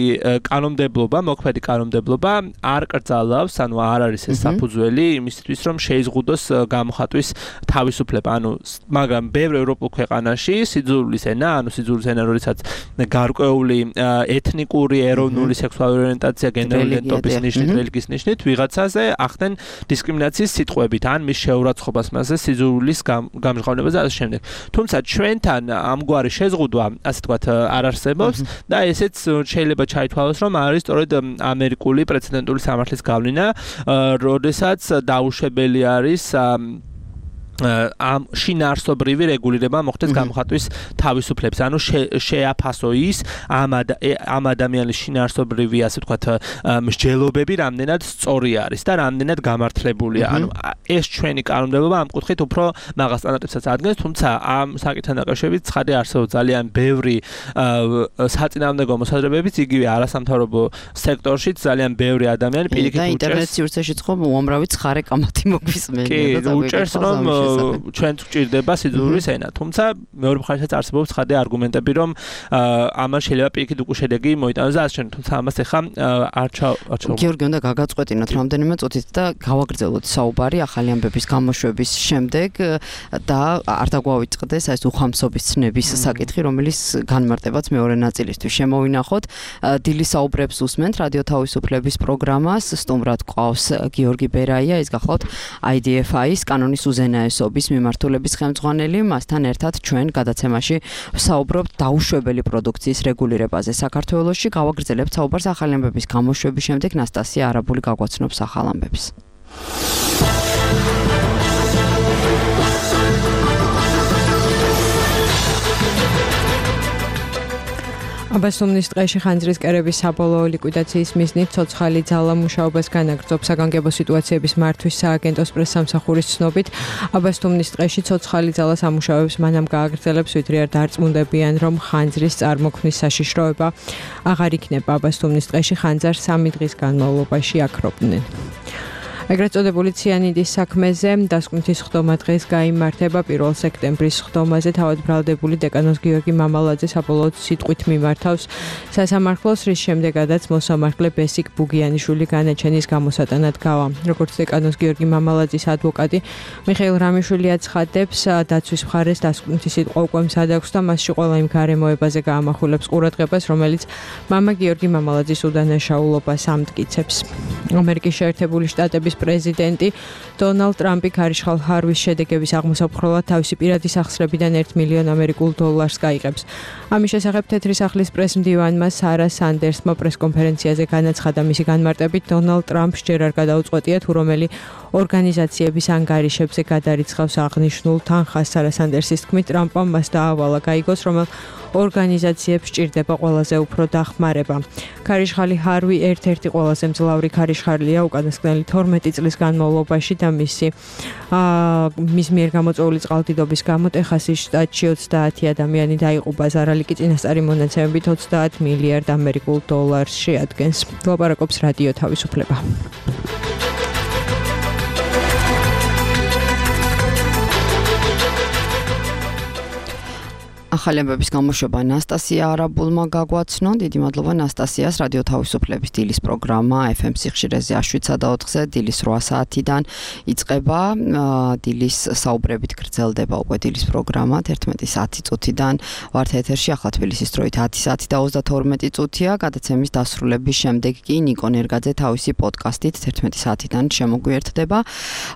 კანონმდებლობა მოქმედი კანონმდებლობა არ კრძალავს ანუ არ არის ეს საფუძველი იმისთვის რომ შეიზღუდოს გამოხატვის თავისუფლება ანუ მაგრამ ბევრ ევროპულ ქვეყანაში სიძულვილის ენა ანუ სიძულვილის ენა როდესაც გარკვეული ეთნიკური ეროვნული სექსუალური ორიენტაცია გენდერული იდენტობის ნიშნით რელიგიის ნიშნით ვიღაცაზე ახდენ დისკრიმინაციის სიტყვებით ან მის შეურაცხყოფას მასზე სიძულვილის გამჟღავნებას და ასე შემდეგ თუმცა ჩვენთან ამგვარი შეზღუდვა ასე ვთქვათ არ არსებობს და ესეც შეიძლება ჩაითვალოს რომ არის სწორედ ამერიკული პრეცედენტული სამართლის გავლენა როდესაც დაუშვებელი არის ამ შინაარსობრივი რეგულირება მოხდეს გამოხატვის თავისუფლებს. ანუ შეაფასო ის ამ ადამიანის შინაარსობრივი, ასე ვთქვათ, მსჯელობები რამდენად სწორი არის და რამდენად გამართლებულია. ანუ ეს ჩვენი კანონმდებლობა ამ კუთხით უფრო მაღალ სტანდარტებსაც ადგენს, თუმცა ამ საკითხთან დაკავშირებით ცხადი არსებობს ძალიან ბევრი საწინააღმდეგო მოსაზრებებიც, იგივე არასამთავრობო სექტორშიც ძალიან ბევრი ადამიანი პირიქით უჭერს. და ინტერნეტ სივრცეშიც ხო უამრავი ცხარე კამათი მოგვისმენია და უჭერს რომ ჩვენც გვჭირდება სიძულვის ენა. თუმცა მეორე მხარესაც არსებობს ცხადი არგუმენტები, რომ ამან შეიძლება პირიქით უკვე შედეგი მოიტანოს და ასე შემდეგ. თუმცა ამას ეხლა არ გიორგი, უნდა გაგაწყვეტინოთ რამდენიმე წუთით და გავაგრძელოთ საუბარი ახალი ამბების გამოშვების შემდეგ და არ დაგვავიწყდეს ეს უხამსობის ცნების საკითხი, რომელიც განმარტებაც მეორე ნაწილისთვის შემოვინახოთ. დილის საუბრებს უსმენთ რადიო თავისუფლების პროგრამას, სტუმრად გვყავს გიორგი ბერაია, ის გახლავთ IDFI-ის კანონის უზენაესობის მიმართულების ხელმძღვანელი. მასთან ერთად ჩვენ გადაცემაში საუბრობთ დაუშვებელი პროდუქციის რეგულირებაზე საქართველოში. გავაგრძელებთ საუბარს ახალი ამბების გამოშვების შემდეგ. ნასტასია არაბული გაგვაცნობს ახალ ამბებს. აბასუმნის ტყეში ხანძრის კერების საბოლოო ლიკვიდაციის მიზნით ცოცხალი ძალა მუშაობას განაგრძობს. საგანგებო სიტუაციების მართვის სააგენტოს პრესსამსახურის ცნობით, აბასუმნის ტყეში ცოცხალი ძალა სამუშაოებს მანამ გააგრძელებს, ვიდრე არ დარწმუნდებიან, რომ ხანძრის წარმოქმნის საშიშროება აღარ იქნება. აბასუმნის ტყეში ხანძარს 3 დღის განმავლობაში აქრობდნენ. ეგრეთ წოდებული ციანიდის საქმეზე დასკვნითი სხდომა დღეს გაიმართება 1 სექტემბრის სხდომაზე. თავად ბრალდებული დეკანოს გიორგი მამალაძე საბოლოოდ სიტყვით მიმართავს სასამართლოს, რის შემდეგაც მოსამართლე ბესიკ ბუგიანიშვილი განაჩენის გამოსატანად გავა. როგორც დეკანოს გიორგი მამალაძის ადვოკატი მიხეილ რამიშვილი აცხადებს, დაცვის მხარეს დასკვნითი სიტყვა უკვე მზად აქვს და მასში ყველა იმ გარემოებაზე გაამახვილებს ყურადღებას, რომელიც მამა გიორგი მამალაძის უდანაშაულობას ამტკიცებს. ამერიკის შეერთებული შტატების პრეზიდენტი დონალდ ტრამპი ქარიშხალ ჰარვის შედეგების აღმოსაფხრელად თავისი პირადი სახსრებიდან $1 მილიონ გაიღებს. ამის შესახებ თეთრი სახლის პრესმდივანმა სარა სანდერსმა პრესკონფერენციაზე განაცხადა, მისი განმარტებით დონალდ ტრამპს ჯერ არ გადაუწყვეტია თუ რომელი ორგანიზაციების ანგარიშებზე გადარიცხავს აღნიშნულ თანხას. სარა სანდერსის თქმით, ტრამპმა მას დაავალა გაიგოს, რომელ ორგანიზაციებს სჭირდება ყველაზე უფრო დახმარება. ქარიშხალი ჰარვი ერთ-ერთი ყველაზე მძლავრი ქარიშხალია უკანასკნელი 12 წლის განმავლობაში და მის მიერ გამოწვეული წყალდიდობის გამო ტეხასის შტატში 30 ადამიანი დაიღუპა. ზარალიკი წინასწარი მონაცემებით $30 მილიარდ შეადგენს. ლაპარაკობს რადიო თავისუფლება. ახალი ამბების გამოშვება ნასტასია არაბულმა გაგვაცნო. დიდი მადლობა ნასტასიას. რადიო თავისუფლების დილის პროგრამა FM სიხშირეზე 7:04-ზე დილის 8 საათიდან იწყება. დილის საუბრებით გრძელდება უკვე დილის პროგრამა 11:10 წუთიდან. ვართ ეთერში ახლა თბილისის დროით 10 საათი და 32 წუთია. გადაცემის დასრულების შემდეგ კი ნიკო ნერგაძე თავისი პოდკასტით 11 საათიდან შემოგვიერთდება.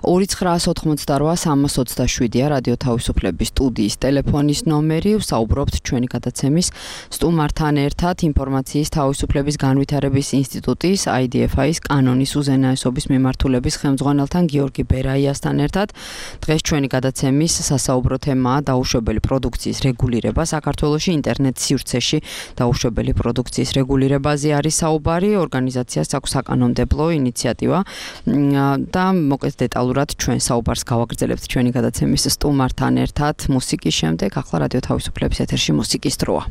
2988327-ია რადიო თავისუფლების სტუდიის ტელეფონის ნომერი. საუბრობთ ჩვენი გადაცემის სტუმართან ერთად ინფორმაციის თავისუფლების განვითარების ინსტიტუტის IDFI-ის კანონის უზენაესობის მიმართულების ხელმძღვანელთან გიორგი ბერაიასთან ერთად. დღეს ჩვენი გადაცემის სასაუბრო თემაა დაუშვებელი პროდუქციის რეგულირება საქართველოში. ინტერნეტ სივრცეში დაუშვებელი პროდუქციის რეგულირებაზე არის საუბარი. ორგანიზაციას აქვს საკანონმდებლო ინიციატივა და მოკლედ დეტალურად ჩვენ საუბარს გავაგრძელებთ ჩვენი გადაცემის სტუმართან ერთად. მუსიკის შემდეგ ახლა რადიო თავისუფლების ეთერში მუსიკის დროა.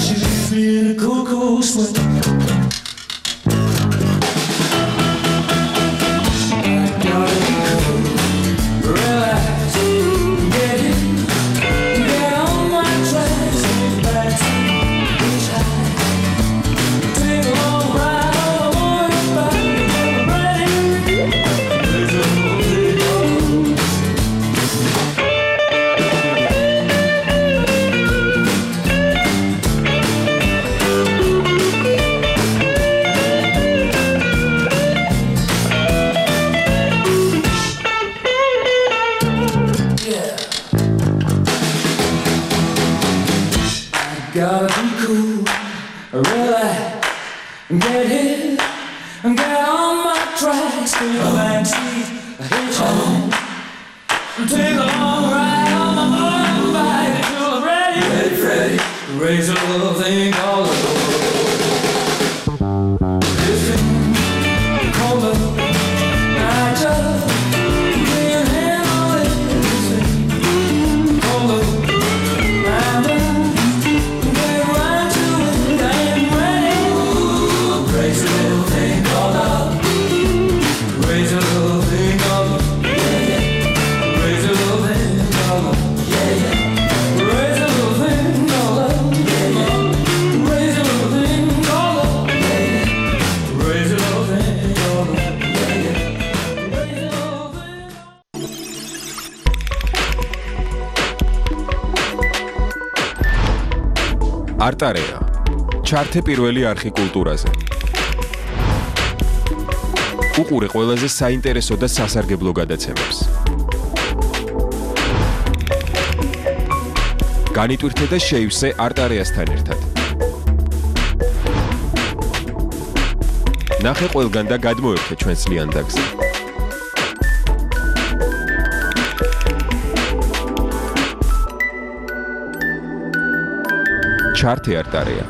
She leaves me in a cuckoo swing. Gotta be cool, really get hit, get on my tracks, take a backseat, hitchhike, take a long ride on my motorbike until I'm ready, ready, raise a little thing called love. This thing called love, I just can't handle it. This thing called love, I'm done. არტარეა ჩართე პირველი არხი კულტურაზე. უყურე ყველაზე საინტერესო და სასარგებლო გადაცემებს. განიტვირთე და შეივსე არტარეასთან ერთად. ნახე ყველგან და გადმოერთე ჩვენს ლიანდაგზე. ჩართე არტარეა.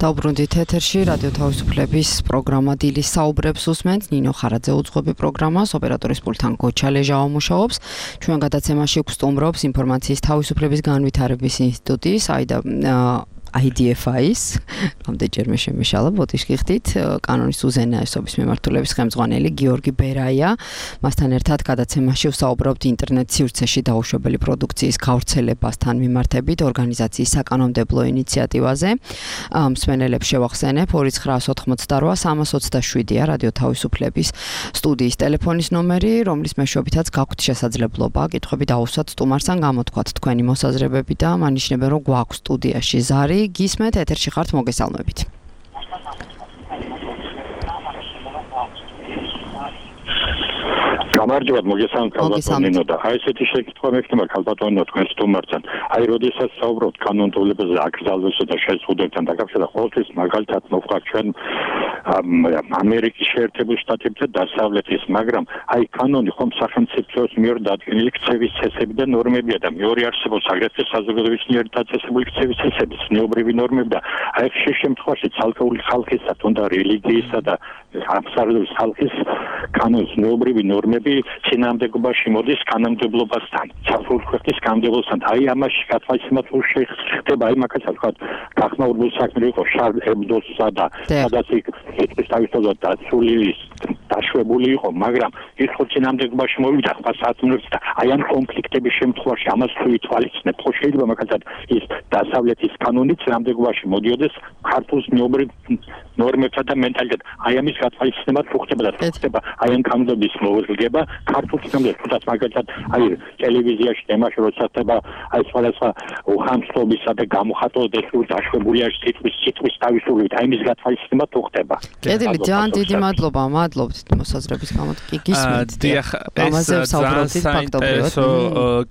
დაუბრუნდით ეთერში რადიო თავისუფლების პროგრამა დილის საუბრებს უსმენთ. ნინო ხარაძე უძღვები პროგრამას, ოპერატორის პულტთან გოჩა ლეჟავა მუშაობს. ჩვენ გადაცემაში გვსტუმრობს ინფორმაციის თავისუფლების განვითარების ინსტიტუტი, IDFI-ის, რამდენჯერმე შემეშალა ბოდიშკი ხდით, კანონის უზენაესობის მიმართულების ხელმძღვანელი გიორგი ბერაია. მასთან ერთად გადაცემაში ვსაუბრობთ ინტერნეტ სივრცეში დაუშვებელი პროდუქციის გავრცელებასთან მიმართებით ორგანიზაციის საკანონმდებლო ინიციატივაზე. მსმენელებს შევახსენებ 2988327-ია რადიო თავისუფლების სტუდიის ტელეფონის ნომერი, რომლის მეშვეობითაც გაქვთ შესაძლებლობა კითხვები დაუსვათ სტუმარს ან გამოთქვათ თქვენი მოსაზრებები და მანიშნებენ რომ გვაქვს სტუდიაში ზარი. გისმენთ ეთერში ხართ, მოგესალმებით. გამარჯობა, მოგესალმებით ქალბატონო და აი ესეთი შეკითხვა მექნება ქალბატონო თქვენ სტუმართან. აი როდესაც საუბრობთ კანონმდებლობაზე აკრძალვასა და შეზღუდებებთან დაკავშირებით, ყოველთვის მაგალითად მოხდა ჩვენ ამერიკის შეერთებულ შტატებთან დასავლეთის, მაგრამ აი კანონი ხომ სახელმწიფოს მიერ დადგენილი ქცევის წესები და ნორმებია და მეორე არსებობს აგრეთვე საზოგადოების მიერ დაწესებული ქცევის წესები, ცნობრივი ნორმები და აი ხშირ შემთხვევაში ცალკეული ხალხისა თუნდა რელიგიისა და აბსოლუტური ხალხის კანონის ცნობრივი ნორმები წინააღმდეგობაში მოდის კანონმდებლობასთან, ცალკეული ქვეყნის კანონმდებლობასთან. აი ამაში გათვალისწინებად ხდება აი მაგალითად ვთქვათ, გახმაურებული საქმე იყო შარლ ებდოსა და სადაც ის თავისთავად დაშვებული იყო, მაგრამ ის ხო წინააღმდეგობაში მოვიდა ხმასათმებს და აი ამ კონფლიქტების შემთხვევაში ამას თუ ითვალისწინებთ, ხო შეიძლება მაგალითად ის დასავლეთის კანონი წინააღმდეგობაში მოდიოდეს ქართულ ცნობრივ ნორმებსა და მენტალიტეტად. აი ამის გათვალისწინებად თუ ხდება და თუ ხდება აი ამ კანონების მოვლება ქართულ ცნობებს, თუნდაც მაგალითად აი ტელევიზიაში თემაში როცა ხდება აი სხვადასხვა უხამსთობისა და გამოხატვის დაშვებულია სიტყვის თავისუფლებით, აი ამის გათვალისწინება თუ ხდება. კედელი, ძალიან დიდი მადლობა, მადლობთ მოსაზრების გამო. გისმენთ. დიახ, ამაზე ვსაუბრობთ ფაქტობრივად.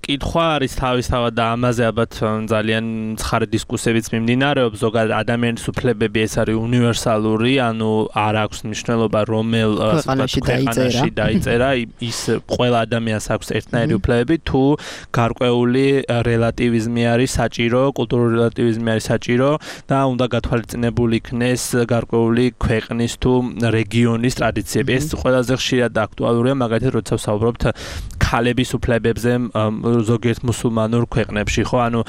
კითხვა არის თავისთავად და ამაზე ალბათ ძალიან ცხარე დისკუსიებიც მიმდინარეობს. ზოგადად ადამიანის უფლებები ეს არის უნივერსალური, ანუ არ აქვს მნიშვნელობა რომელ ქვეყანაში დაიწერა, ის ყველა ადამიანს აქვს ერთნაირი უფლებები, თუ გარკვეული რელატივიზმი არის საჭირო, კულტურული რელატივიზმი არის საჭირო და უნდა გათვალისწინებული იქნეს გარკვეული ქვეყნის თუ რეგიონის ტრადიციები. ეს ყველაზე ხშირად აქტუალურია, მაგალითად, როცა ვსაუბრობთ ქალების უფლებებზე ზოგიერთ მუსულმანურ ქვეყნებში, ხო? ანუ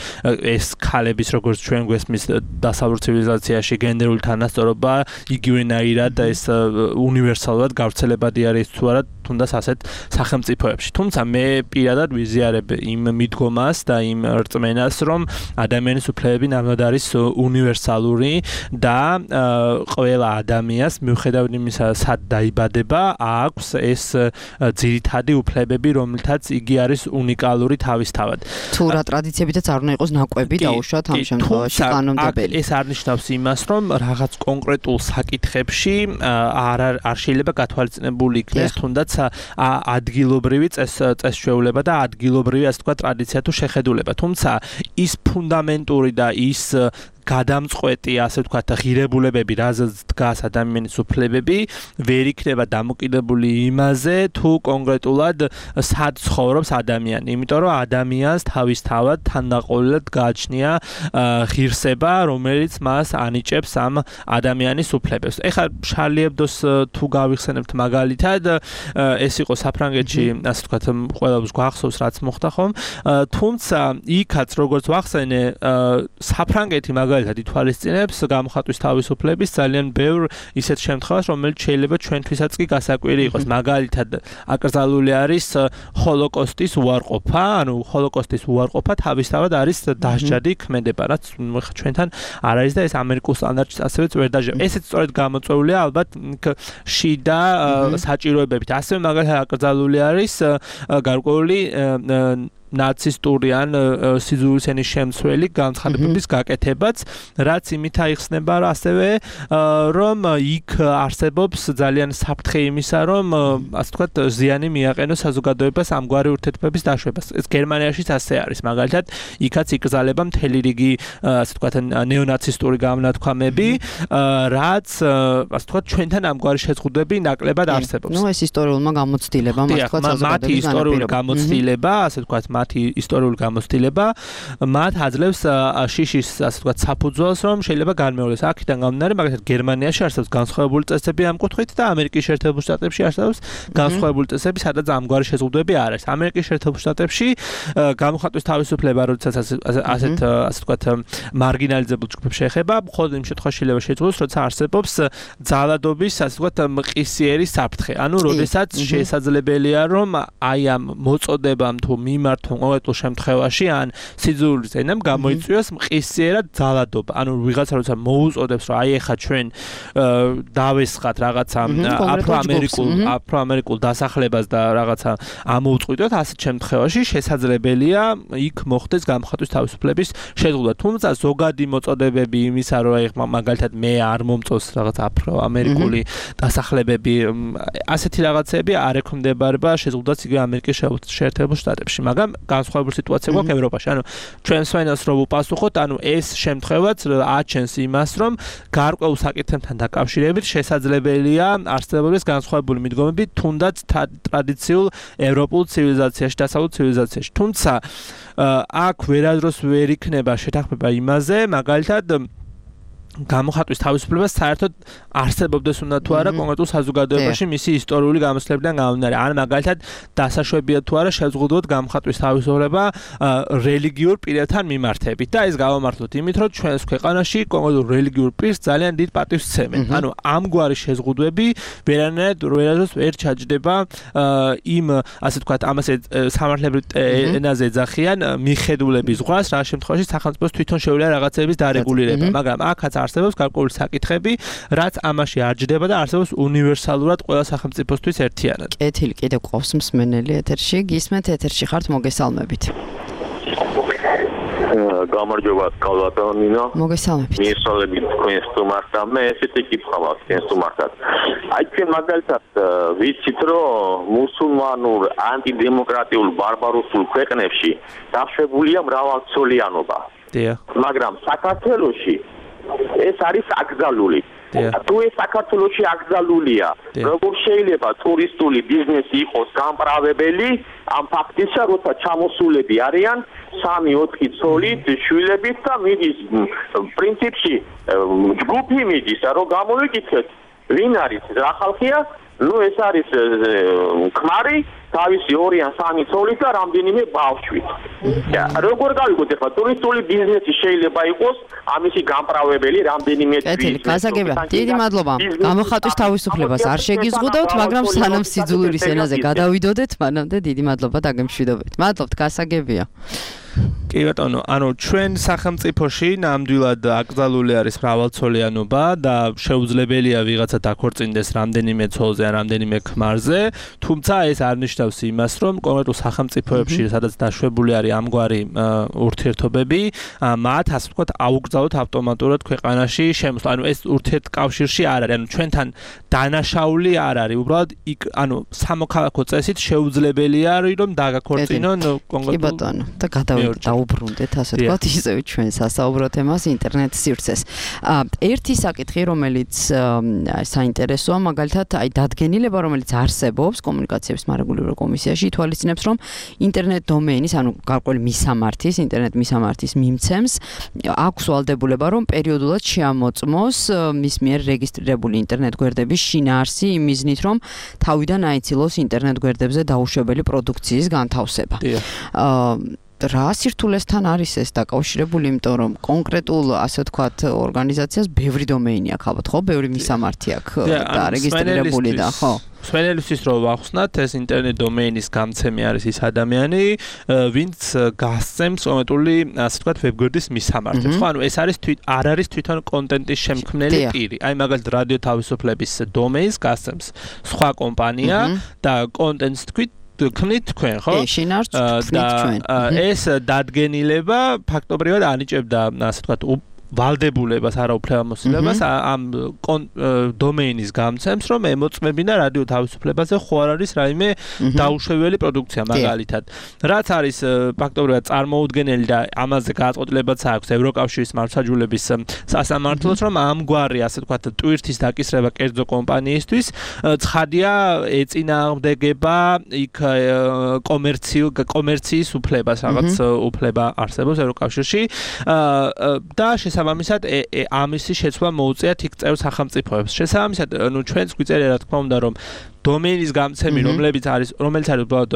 ეს ქალების როგორც ჩვენ გვესმის დასავლურ ცივილიზაციაში გენდერული თანასწორობა იგივენაირად ეს უნივერსალურად გავრცელებადი არის თუ არა თუნდაც ასეთ სახელმწიფოებში. თუმცა მე პირადად ვიზიარებ იმ მიდგომას და იმ რწმენას, რომ ადამიანის უფლებები ნამდვილად არის უნივერსალური და ყველა ადამიანს მიუხედავად იმისა, სად დაიბადება, აქვს ეს ძირითადი უფლებები, რომლითაც იგი არის უნიკალური თავისთავად. თუ რა ტრადიციებითაც არ უნდა იყოს ნაკვები დაუშვათ ამ შემთხვევაში კანონმდებელი. ეს არ ნიშნავს იმას, რომ რაღაც კონკრეტულ საკითხებში არ შეიძლება გათვალისწინებული იქნეს თუნდაც ადგილობრივი წესჩვეულება და ადგილობრივი ასე თქვა ტრადიცია თუ შეხედულება. თუმცა ის ფუნდამენტური და ის გადამწყვეტი ასე ვთქვათ ღირებულებები, რაზეც დგას ადამიანის უფლებები, ვერ იქნება დამოკიდებული იმაზე, თუ კონკრეტულად სად ცხოვრობს ადამიანი. იმიტომ რომ ადამიანს თავისთავად თანდაყოლილად გააჩნია ღირსება, რომელიც მას ანიჭებს ამ ადამიანის უფლებებს. ეხლა შარლი ებდოს თუ გავიხსენებთ მაგალითად, ეს იყო საფრანგეთში, ასე ვთქვათ, ყველას გვახსოვს რაც მოხდა ხომ, თუმცა იქაც როგორც ვახსენე, საფრანგეთი მაგალითად ითვალისწინებს გამოხატვის თავისუფლების ძალიან ბევრ ისეთ შემთხვევას, რომელიც შეიძლება ჩვენთვისაც კი გასაკვირი იყოს. მაგალითად, აკრძალული არის ჰოლოკოსტის უარყოფა, ანუ ჰოლოკოსტის უარყოფა თავისთავად არის დასჯადი ქმედება, რაც ჩვენთან არ არის და ეს ამერიკულ სტანდარტს ასევე ვერ დაჟევს. ესეც სწორედ გამოწვეულია ალბათ შიდა საჭიროებებით. ასევე მაგალითად აკრძალული არის გარკვეული ნაცისტური ან სიძულვილისენის შემცველი განცხადებების გაკეთებაც, რაც იმით აიხსნება ასევე, რომ იქ არსებობს ძალიან საფრთხე იმისა, რომ ასე ვთქვათ, ზიანი მიაყენოს საზოგადოებას ამგვარი ურთიერთობების დაშვებას. ეს გერმანიაშიც ასე არის. მაგალითად, იქაც იკრძალება მთელი რიგი, ასე ვთქვათ, ნეონაცისტური გამონათქვამები, რაც, ასე ვთქვათ, ჩვენთან ამგვარი შეზღუდვები ნაკლებად არსებობს. ნუ ეს ისტორიულმა გამოცდილებამ, ასე ვთქვათ, მათი ისტორიული გამოცდილება, ასე ვთქვათ, მათი ისტორიული გამოცდილება მათ აძლევს შიშის, ასე ვთქვათ, საფუძველს, რომ შეიძლება განმეორდეს. აქედან გამომდინარე, მაგალითად, გერმანიაში არსებობს განსხვავებული წესები ამ კუთხით და ამერიკის შეერთებულ შტატებში არსებობს განსხვავებული წესები, სადაც ამგვარი შეზღუდვები არ არის. ამერიკის შეერთებულ შტატებში გამოხატვის თავისუფლება, როდესაც ასე ვთქვათ, მარგინალიზებულ ჯგუფებს შეეხება, მხოლოდ იმ შემთხვევაში შეიძლება შეძლოს, როცა არსებობს ძალადობის, ასე ვთქვათ, მყისიერი საფრთხე. ანუ, როდესაც შესაძლებელია, რომ აი ამ მოწოდებამ თუ მიმართვამ კონკრეტულ შემთხვევაში ან სიძულვილის ენამ გამოიწვიოს მყისიერად ძალადობა. ანუ ვიღაცა როცა მოუწოდებს, რომ აი ეხა ჩვენ დავესხათ რაღაცა აფროამერიკულ დასახლებას და რაღაცა ამოუწყვიტოთ, ასეთ შემთხვევაში შესაძლებელია იქ მოხდეს გამოხატვის თავისუფლების შეზღუდვა. თუმცა ზოგადი მოწოდებები იმისა, რომ აი მაგალითად მე არ მომწონს რაღაც აფროამერიკული დასახლებები, ასეთი რაღაცები არ ექვემდებარება შეზღუდვას იგივე ამერიკის შეერთებულ შტატებში, მაგრამ განსხვავებული სიტუაცია გვაქვს ევროპაში. ანუ ჩვენ სვენელს რო ვუპასუხოთ, ანუ ეს შემთხვევაც აჩენს იმას, რომ გარკვეულ საკითხებთან დაკავშირებით შესაძლებელია არსებობის განსხვავებული მიდგომები თუნდაც ტრადიციულ ევროპულ ცივილიზაციაში, დასავლურ ცივილიზაციაში. თუმცა აქ ვერადროს ვერ იქნება შეთანხმება იმაზე, მაგალითად გამოხატვის თავისუფლება საერთოდ არსებობდეს უნდა თუ არა კონკრეტულ საზოგადოებაში მისი ისტორიული გამოსვლებიდან გამომდინარე. ან მაგალითად დასაშვებია თუ არა შეზღუდოთ გამოხატვის თავისუფლება რელიგიურ პირებთან მიმართებით და ეს გავამართლოთ იმით, რომ ჩვენს ქვეყანაში კონკრეტულ რელიგიურ პირს ძალიან დიდ პატივს სცემენ. ანუ ამგვარი შეზღუდვები ვერანაირად ვერ ჩაჯდება იმ, ასე ვთქვათ, ამას სამართლებრივ ენაზე ეძახიან მიხედულების ზღვას, რა შემთხვევაში სახელმწიფოს თვითონ შეუძლია რაღაცების დარეგულირება, მაგრამ აქაც არსებობს გარკვეული საკითხები, რაც ამაში არ ჯდება და არსებობს უნივერსალურად ყველა სახელმწიფოსთვის ერთიანად. კეთილი, კიდევ ყავს მსმენელი ეთერში, გისმენთ ეთერში ხართ, მოგესალმებით. გამარჯობა, კალვატონინო. მოგესალმებით. მიესალმებით თქვენ სტუმარს და მე ესეთი კითხვა მაქვს თქვენ სტუმართან. აი ჩვენ მაგალითად ვიცით, რომ მუსულმანურ ანტიდემოკრატიულ ბარბაროსულ ქვეყნებში დაშვებულია მრავალწლიანობა. დიახ. მაგრამ საქართველოში ეს არის აკრძალული. თუ ეს საქართველოში აკრძალულია, როგორ შეიძლება ტურისტული ბიზნესი იყოს გამправებელი ამ ფაქტისა, როცა ჩამოსულები არიან 3-4 ცოლით, შვილებით და მიდის პრინციპში ჯგუფი მიდის, რომ გამოვიკითხეთ, ვინ არის რა ხალხია, ეს არის ქმარი თავისი 2 ან 3 ცოლით და რამდენიმე ბავშვით. როგორ გავიგოთ ახლა ტურისტული ბიზნესი შეიძლება იყოს ამისი გამправებელი რამდენიმე თვით. გასაგებია. დიდი მადლობა. გამოხატვის თავისუფლებას არ შეგიზღუდავთ, მაგრამ სანამ სიძულვილის ენაზე გადავიდოდეთ, მანამდე დიდი მადლობა დაგემშვიდობებით. მადლობთ, გასაგებია. კი ბატონო, ანუ ჩვენ სახელმწიფოში ნამდვილად აკრძალული არის მრავალცოლიანობა და შეუძლებელია ვიღაცა დაქორწინდეს რამდენიმე ცოლზე ან რამდენიმე ქმარზე, თუმცა ეს არ ნიშნავს იმას, რომ კონკრეტულ სახელმწიფოებში, სადაც დაშვებული არის ამგვარი ურთიერთობები, მათ ასე ვთქვათ, აუკრძალოთ ავტომატურად ქვეყანაში შემოსვლა. ანუ ეს ურთიერთკავშირში არ არის, ანუ ჩვენთან დანაშაული არ არის, უბრალოდ ანუ სამოქალაქო წესით შეუძლებელია რომ დაგაქორწინონ კონკრეტულ. კი ბატონო, და დაუბრუნდეთ ასე ვთქვათ ისევ ჩვენ სასაუბრო თემას ინტერნეტ სივრცეს. ერთი საკითხი, რომელიც საინტერესოა, მაგალითად, დადგენილება, რომელიც არსებობს კომუნიკაციების მარეგულირებელ კომისიაში, ითვალისწინებს, რომ ინტერნეტ დომეინის, ანუ გარკვეული მისამართის, ინტერნეტ მისამართის მიმცემს აქვს ვალდებულება, რომ პერიოდულად შეამოწმოს მის მიერ რეგისტრირებული ინტერნეტ გვერდების შინაარსი იმ მიზნით, რომ თავიდან აიცილოს ინტერნეტ გვერდებზე დაუშვებელი პროდუქციის განთავსება. რა სირთულესთან არის ეს დაკავშირებული, იმიტომ რომ კონკრეტულ ასე ვთქვათ ორგანიზაციას ბევრი დომეინი აქვს, ალბათ ხო, ბევრი მისამართი აქვს და რეგისტრირებული და ხო. სვენელისთვის რომ ვახსნათ, ეს ინტერნეტ დომეინის გამცემი არის ის ადამიანი, ვინც გასცემს კონკრეტული ასე ვთქვათ ვებგვერდის მისამართებს. ხო, ანუ ეს არის არ არის თვითონ კონტენტის შემქმნელი პირი. აი მაგალითად რადიო თავისუფლების დომეინს გასცემს სხვა კომპანია და კონტენტს ქმნით თქვენ, ხო? შინაარსს ქმნით ჩვენ. ეს დადგენილება ფაქტობრივად ანიჭებდა, ასე ვთქვათ, ვალდებულებას, არაუფლებამოსილებას ამ დომეინის გამცემს, რომ ემოწმებინა რადიო თავისუფლებაზე ხო არ არის რაიმე დაუშვებელი პროდუქცია მაგალითად. რაც არის ფაქტობრივად წარმოუდგენელი და ამაზე გადაწყვეტილებაც აქვს ევროკავშირის მართლმსაჯულების სასამართლოს, რომ ამგვარი, ასე ვთქვათ, ტვირთის დაკისრება კერძო კომპანიისთვის ცხადია ეწინააღმდეგება იქ კომერციის უფლებას, რაღაც უფლება არსებობს ევროკავშირში და შესაბამისად ამისი შეცვლა მოუწიათ იქ წევრ სახელმწიფოებს. შესაბამისად, ნუ ჩვენც გვიწერია რა თქმა უნდა, რომ დომეინის გამცემი, რომელიც არის უბრალოდ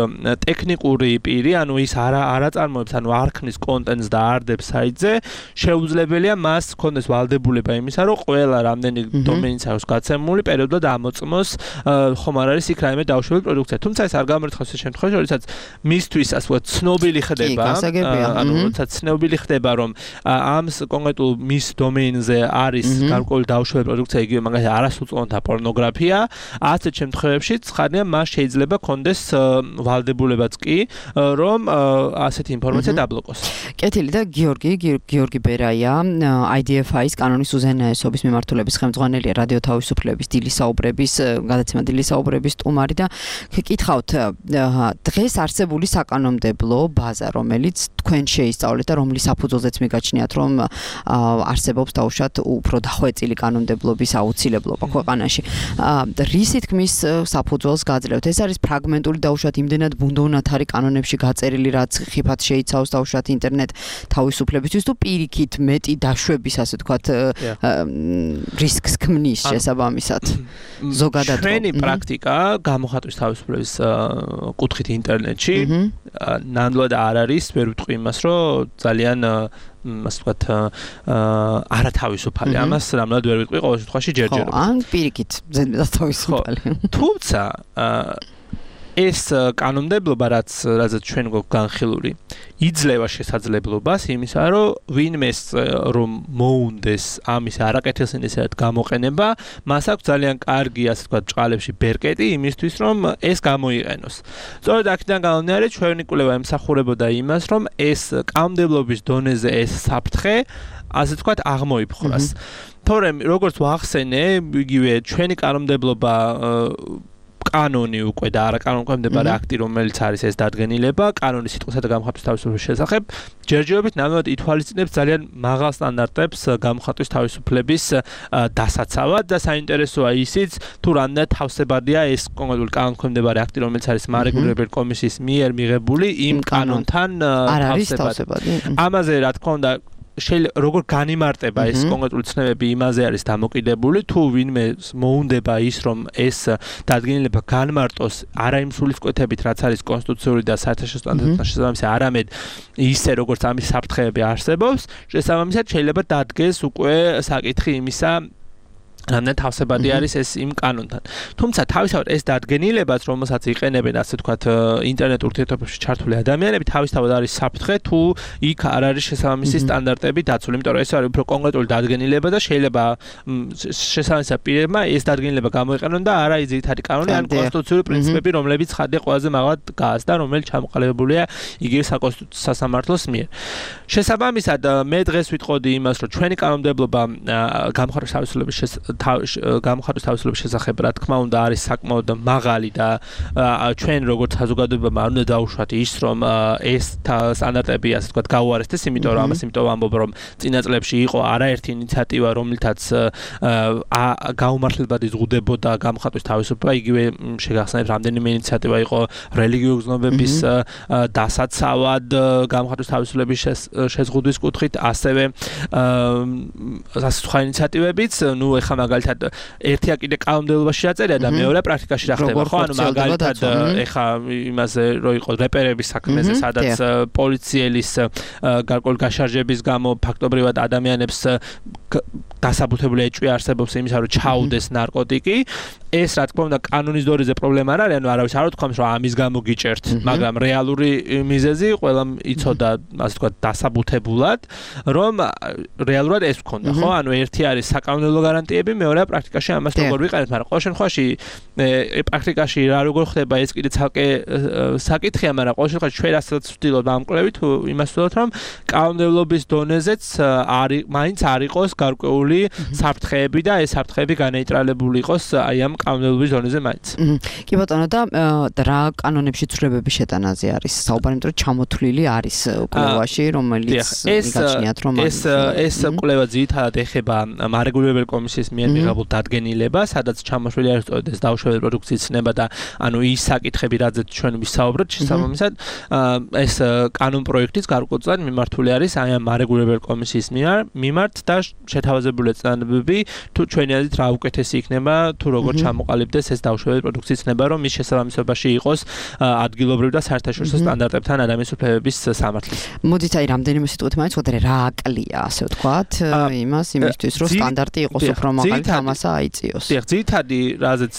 ტექნიკური პირი, ანუ ის არ აწარმოებს, ანუ არ ქმნის კონტენტს და არ დებს საიტზე, შეუძლებელია მას ჰქონდეს ვალდებულება იმისა, რომ ყველა რამდენი დომეინიც აქვს გაცემული, პერიოდულად ამოწმოს ხომ არ არის იქ რაიმე დაუშვებელი პროდუქცია. თუმცა ეს არ გამორიცხავს ეს შემთხვევაში, როდესაც მისთვის ასე ვთქვათ, ცნობილი ხდება, ანუ როდესაც ცნობილი ხდება, რომ ამ კონკრეტულ მის დომეინზე არის გარკვეული დაუშვებელი პროდუქცია, იგივე მაგალითად არასრულწლოვანთა პორნოგრაფია, ასეთ შემთხვევებში ცხადია მას შეიძლება კონდეს ვალდებულებაც კი, რომ ასეთი ინფორმაცია დაბლოკოს. კეთილი და გიორგი ბერაია, IDFI-ის კანონის უზენაესობის მიმართულების ხელმძღვანელია რადიო თავისუფლების გადაცემა დილის საუბრების სტუმარი და გკითხავთ, დღეს არსებული საკანონმდებლო ბაზა, რომელიც თქვენ შეისწავლეთ და რომლის საფუძველზეც მიგაჩნიათ, რომ არსებობს დაუშვათ უფრო დახვეწილი კანონმდებლობის აუცილებლობა ქვეყანაში. რისი თქმის საფუძველს გაძლევთ? ეს არის ფრაგმენტული დაუშვათ იმდენად ბუნდოვნათარი კანონებში გაწერილი, რაც ხიფად შეიცავს დაუშვათ ინტერნეტ თავისუფლებისთვის თუ პირიქით მეტი დაშვების, ასე ვთქვათ, რისკს ქმნის შესაბამისად. ზოგადად ჩვენი პრაქტიკა გამოხატვის თავისუფლების კუთხით ინტერნეტში ნამდვილად არ არის, ვერ ვიტყვი იმას, რომ ძალიან ასე ვთქვათ, არათავისუფალი. ამას ნამდვილად ვერ ვიტყვი ყოველ შემთხვევაში ჯერჯერობით. ან პირიქით ზედმეტად თავისუფალი. თუმცა ეს კანონმდებლობა, რაც ჩვენ გვაქვს განხილული, იძლევა შესაძლებლობას იმისა, რომ ვინმეს რომ მოუნდეს ამის არაკეთილსინდისად გამოყენება, მას აქვს ძალიან კარგი, ასე ვთქვათ, ჭყალებში ბერკეტი იმისთვის, რომ ეს გამოიყენოს. სწორედ აქედან გამომდინარე, ჩვენი კვლევა ემსახურებოდა იმას, რომ ეს კანონმდებლობის დონეზე ეს საფრთხე, ასე ვთქვათ, აღმოიფხვრას. თორემ, როგორც ვახსენე, იგივე ჩვენი კანონმდებლობა კანონი უკვე და არა კანონქვემდებარე აქტი, რომელიც არის ეს დადგენილება, კანონის სიტყვასა და გამხატვის თავისუფლების შესახებ, ჯერჯერობით ნამდვილად ითვალისწინებს ძალიან მაღალ სტანდარტებს გამხატვის თავისუფლების დასაცავად და საინტერესოა ისიც, თუ რამდენად თავსებადია ეს კონკრეტული კანონქვემდებარე აქტი, რომელიც არის მარეგულირებელი კომისიის მიერ მიღებული იმ კანონთან თავსებადი. ამაზე რა თქმა უნდა როგორ განიმარტება ეს კონკრეტული ცნებები იმაზე არის დამოკიდებული თუ ვინმე მოუნდება ის რომ ეს დადგენილება განმარტოს არა იმ სულისკვეთებით რაც არის კონსტიტუციური და საერთაშორისო სტანდარტებთან შესაბამისი არამედ ისე როგორც ამის საფრთხეები არსებობს შესაბამისად შეიძლება დადგეს უკვე საკითხი იმისა რამდენად თავსებადი არის ეს იმ კანონთან. თუმცა თავისთავად ეს დადგენილებაც, რომელსაც იყენებენ ასე ვთქვათ ინტერნეტ ურთიერთობებში ჩართული ადამიანები, თავისთავად არის საფრთხე თუ იქ არ არის შესაბამისი სტანდარტები დაცული. იმიტომ რომ ეს არის უფრო კონკრეტული დადგენილება და შეიძლება შესაბამისად პირებმა ეს დადგენილება გამოიყენონ და არა ძირითადი კანონი ან კონსტიტუციური პრინციპები, რომლებიც ხადია ყველაზე მაღალად გააზრდა, რომელიც ჩამოყალიბებულია იგივე საკონსტიტუციო სასამართლოს მიერ. შესაბამისად მე დღეს ვიტყოდი იმას, რომ ჩვენი კანონმდებლობა გამხარვის თავისუფლების გამხარვის თავისუფლების შესახებ რა თქმა უნდა არის საკმაოდ მაღალი და ჩვენ როგორც საზოგადოებამ არ უნდა დაუშვათ ის რომ ეს სტანდარტები ასე ვთქვათ გაუარესდეს იმიტომ რომ ამას ვამბობ რომ წინა წლებში იყო არაერთი ინიციატივა რომელთაც გაუმართლებლად იზღუდებოდა გამხარვის თავისუფლება იგივე შეგახსენებთ რამდენიმე ინიციატივა იყო რელიგიური გზნობების დასაცავად გამხარვის თავისუფლების შეზღუდვის კუთხით ასევე ასე სხვა ინიციატივებიც ნუ ეხლა მაგალითად ერთია კიდე კანონმდებლობაში დაწერია და მეორე პრაქტიკაში რა ხდება ხო ანუ მაგალითად ეხლა იმაზე რო იყო რეპერების საქმეზე სადაც პოლიციელის გარკვეული გაშარჟების გამო ფაქტობრივად ადამიანებს დასაბუთებული ეჭვი არსებობს იმისა რომ ჩაუდეს ნარკოტიკი ეს რა თქმა უნდა კანონის დონეზე პრობლემა არ არის ანუ არავის არ უთქვამს რომ ამის გამო გიჭერთ მაგრამ რეალური მიზეზი ყველა იცოდა ასე ვთქვათ დასაბუთებულად რომ რეალურად ეს ვქონდა ხო ანუ ერთი არის საკანონმდებლო გარანტიები მეორეა პრაქტიკაში ამას როგორ ვიყენებთ მაგრამ ყოველ შემთხვევაში პრაქტიკაში რა როგორ ხდება ეს კიდე ცალკე საკითხია მაგრამ ყოველ შემთხვევაში ჩვენ რასაც ვცდილობთ ამ კვლევით იმას ვცდილობთ რომ კანონმდებლობის დონეზეც მაინც არ იყოს გარკვეული საფრთხეები და ეს საფრთხეები განეიტრალებული იყოს აი ამ კანონმდებლობის დონეზე მაინც. კი ბატონო და რა კანონებში ცვლილებების შეტანაზე არის საუბარი, იმიტომ რომ ჩამოთვლილი არის კვლევაში, რომელიც მიგაჩნიათ რომ ეს კვლევა ძირითადად ეხება მარეგულირებელი კომისიის მიერ მიღებულ დადგენილებას, სადაც ჩამოთვლილი არის სწორედ ეს დაუშვებელი პროდუქციის ცნება და ანუ ის საკითხები, რაზეც ჩვენ ვისაუბრეთ, შესაბამისად ეს კანონპროექტიც გარკვეულწილად მიმართული არის აი ამ მარეგულირებელი კომისიის მიმართ და შეთავაზებული წინადადებები თუ ჩვენი აზრით რა უკეთესი იქნება თუ როგორ ჩამოყალიბდეს ეს დაუშვებელი პროდუქციის ცნება, რომ მის შესაბამისობაში იყოს ადგილობრივ და საერთაშორისო სტანდარტებთან ადამიანის უფლებების სამართლის. მოდით აი რამდენიმე სიტყვით მაინც ვთქვათ რა აკლია, ასე ვთქვათ, იმისთვის რომ სტანდარტი იყოს უფრო მაღალი და ამასა აიწიოს. დიახ, ძირითადი რაზეც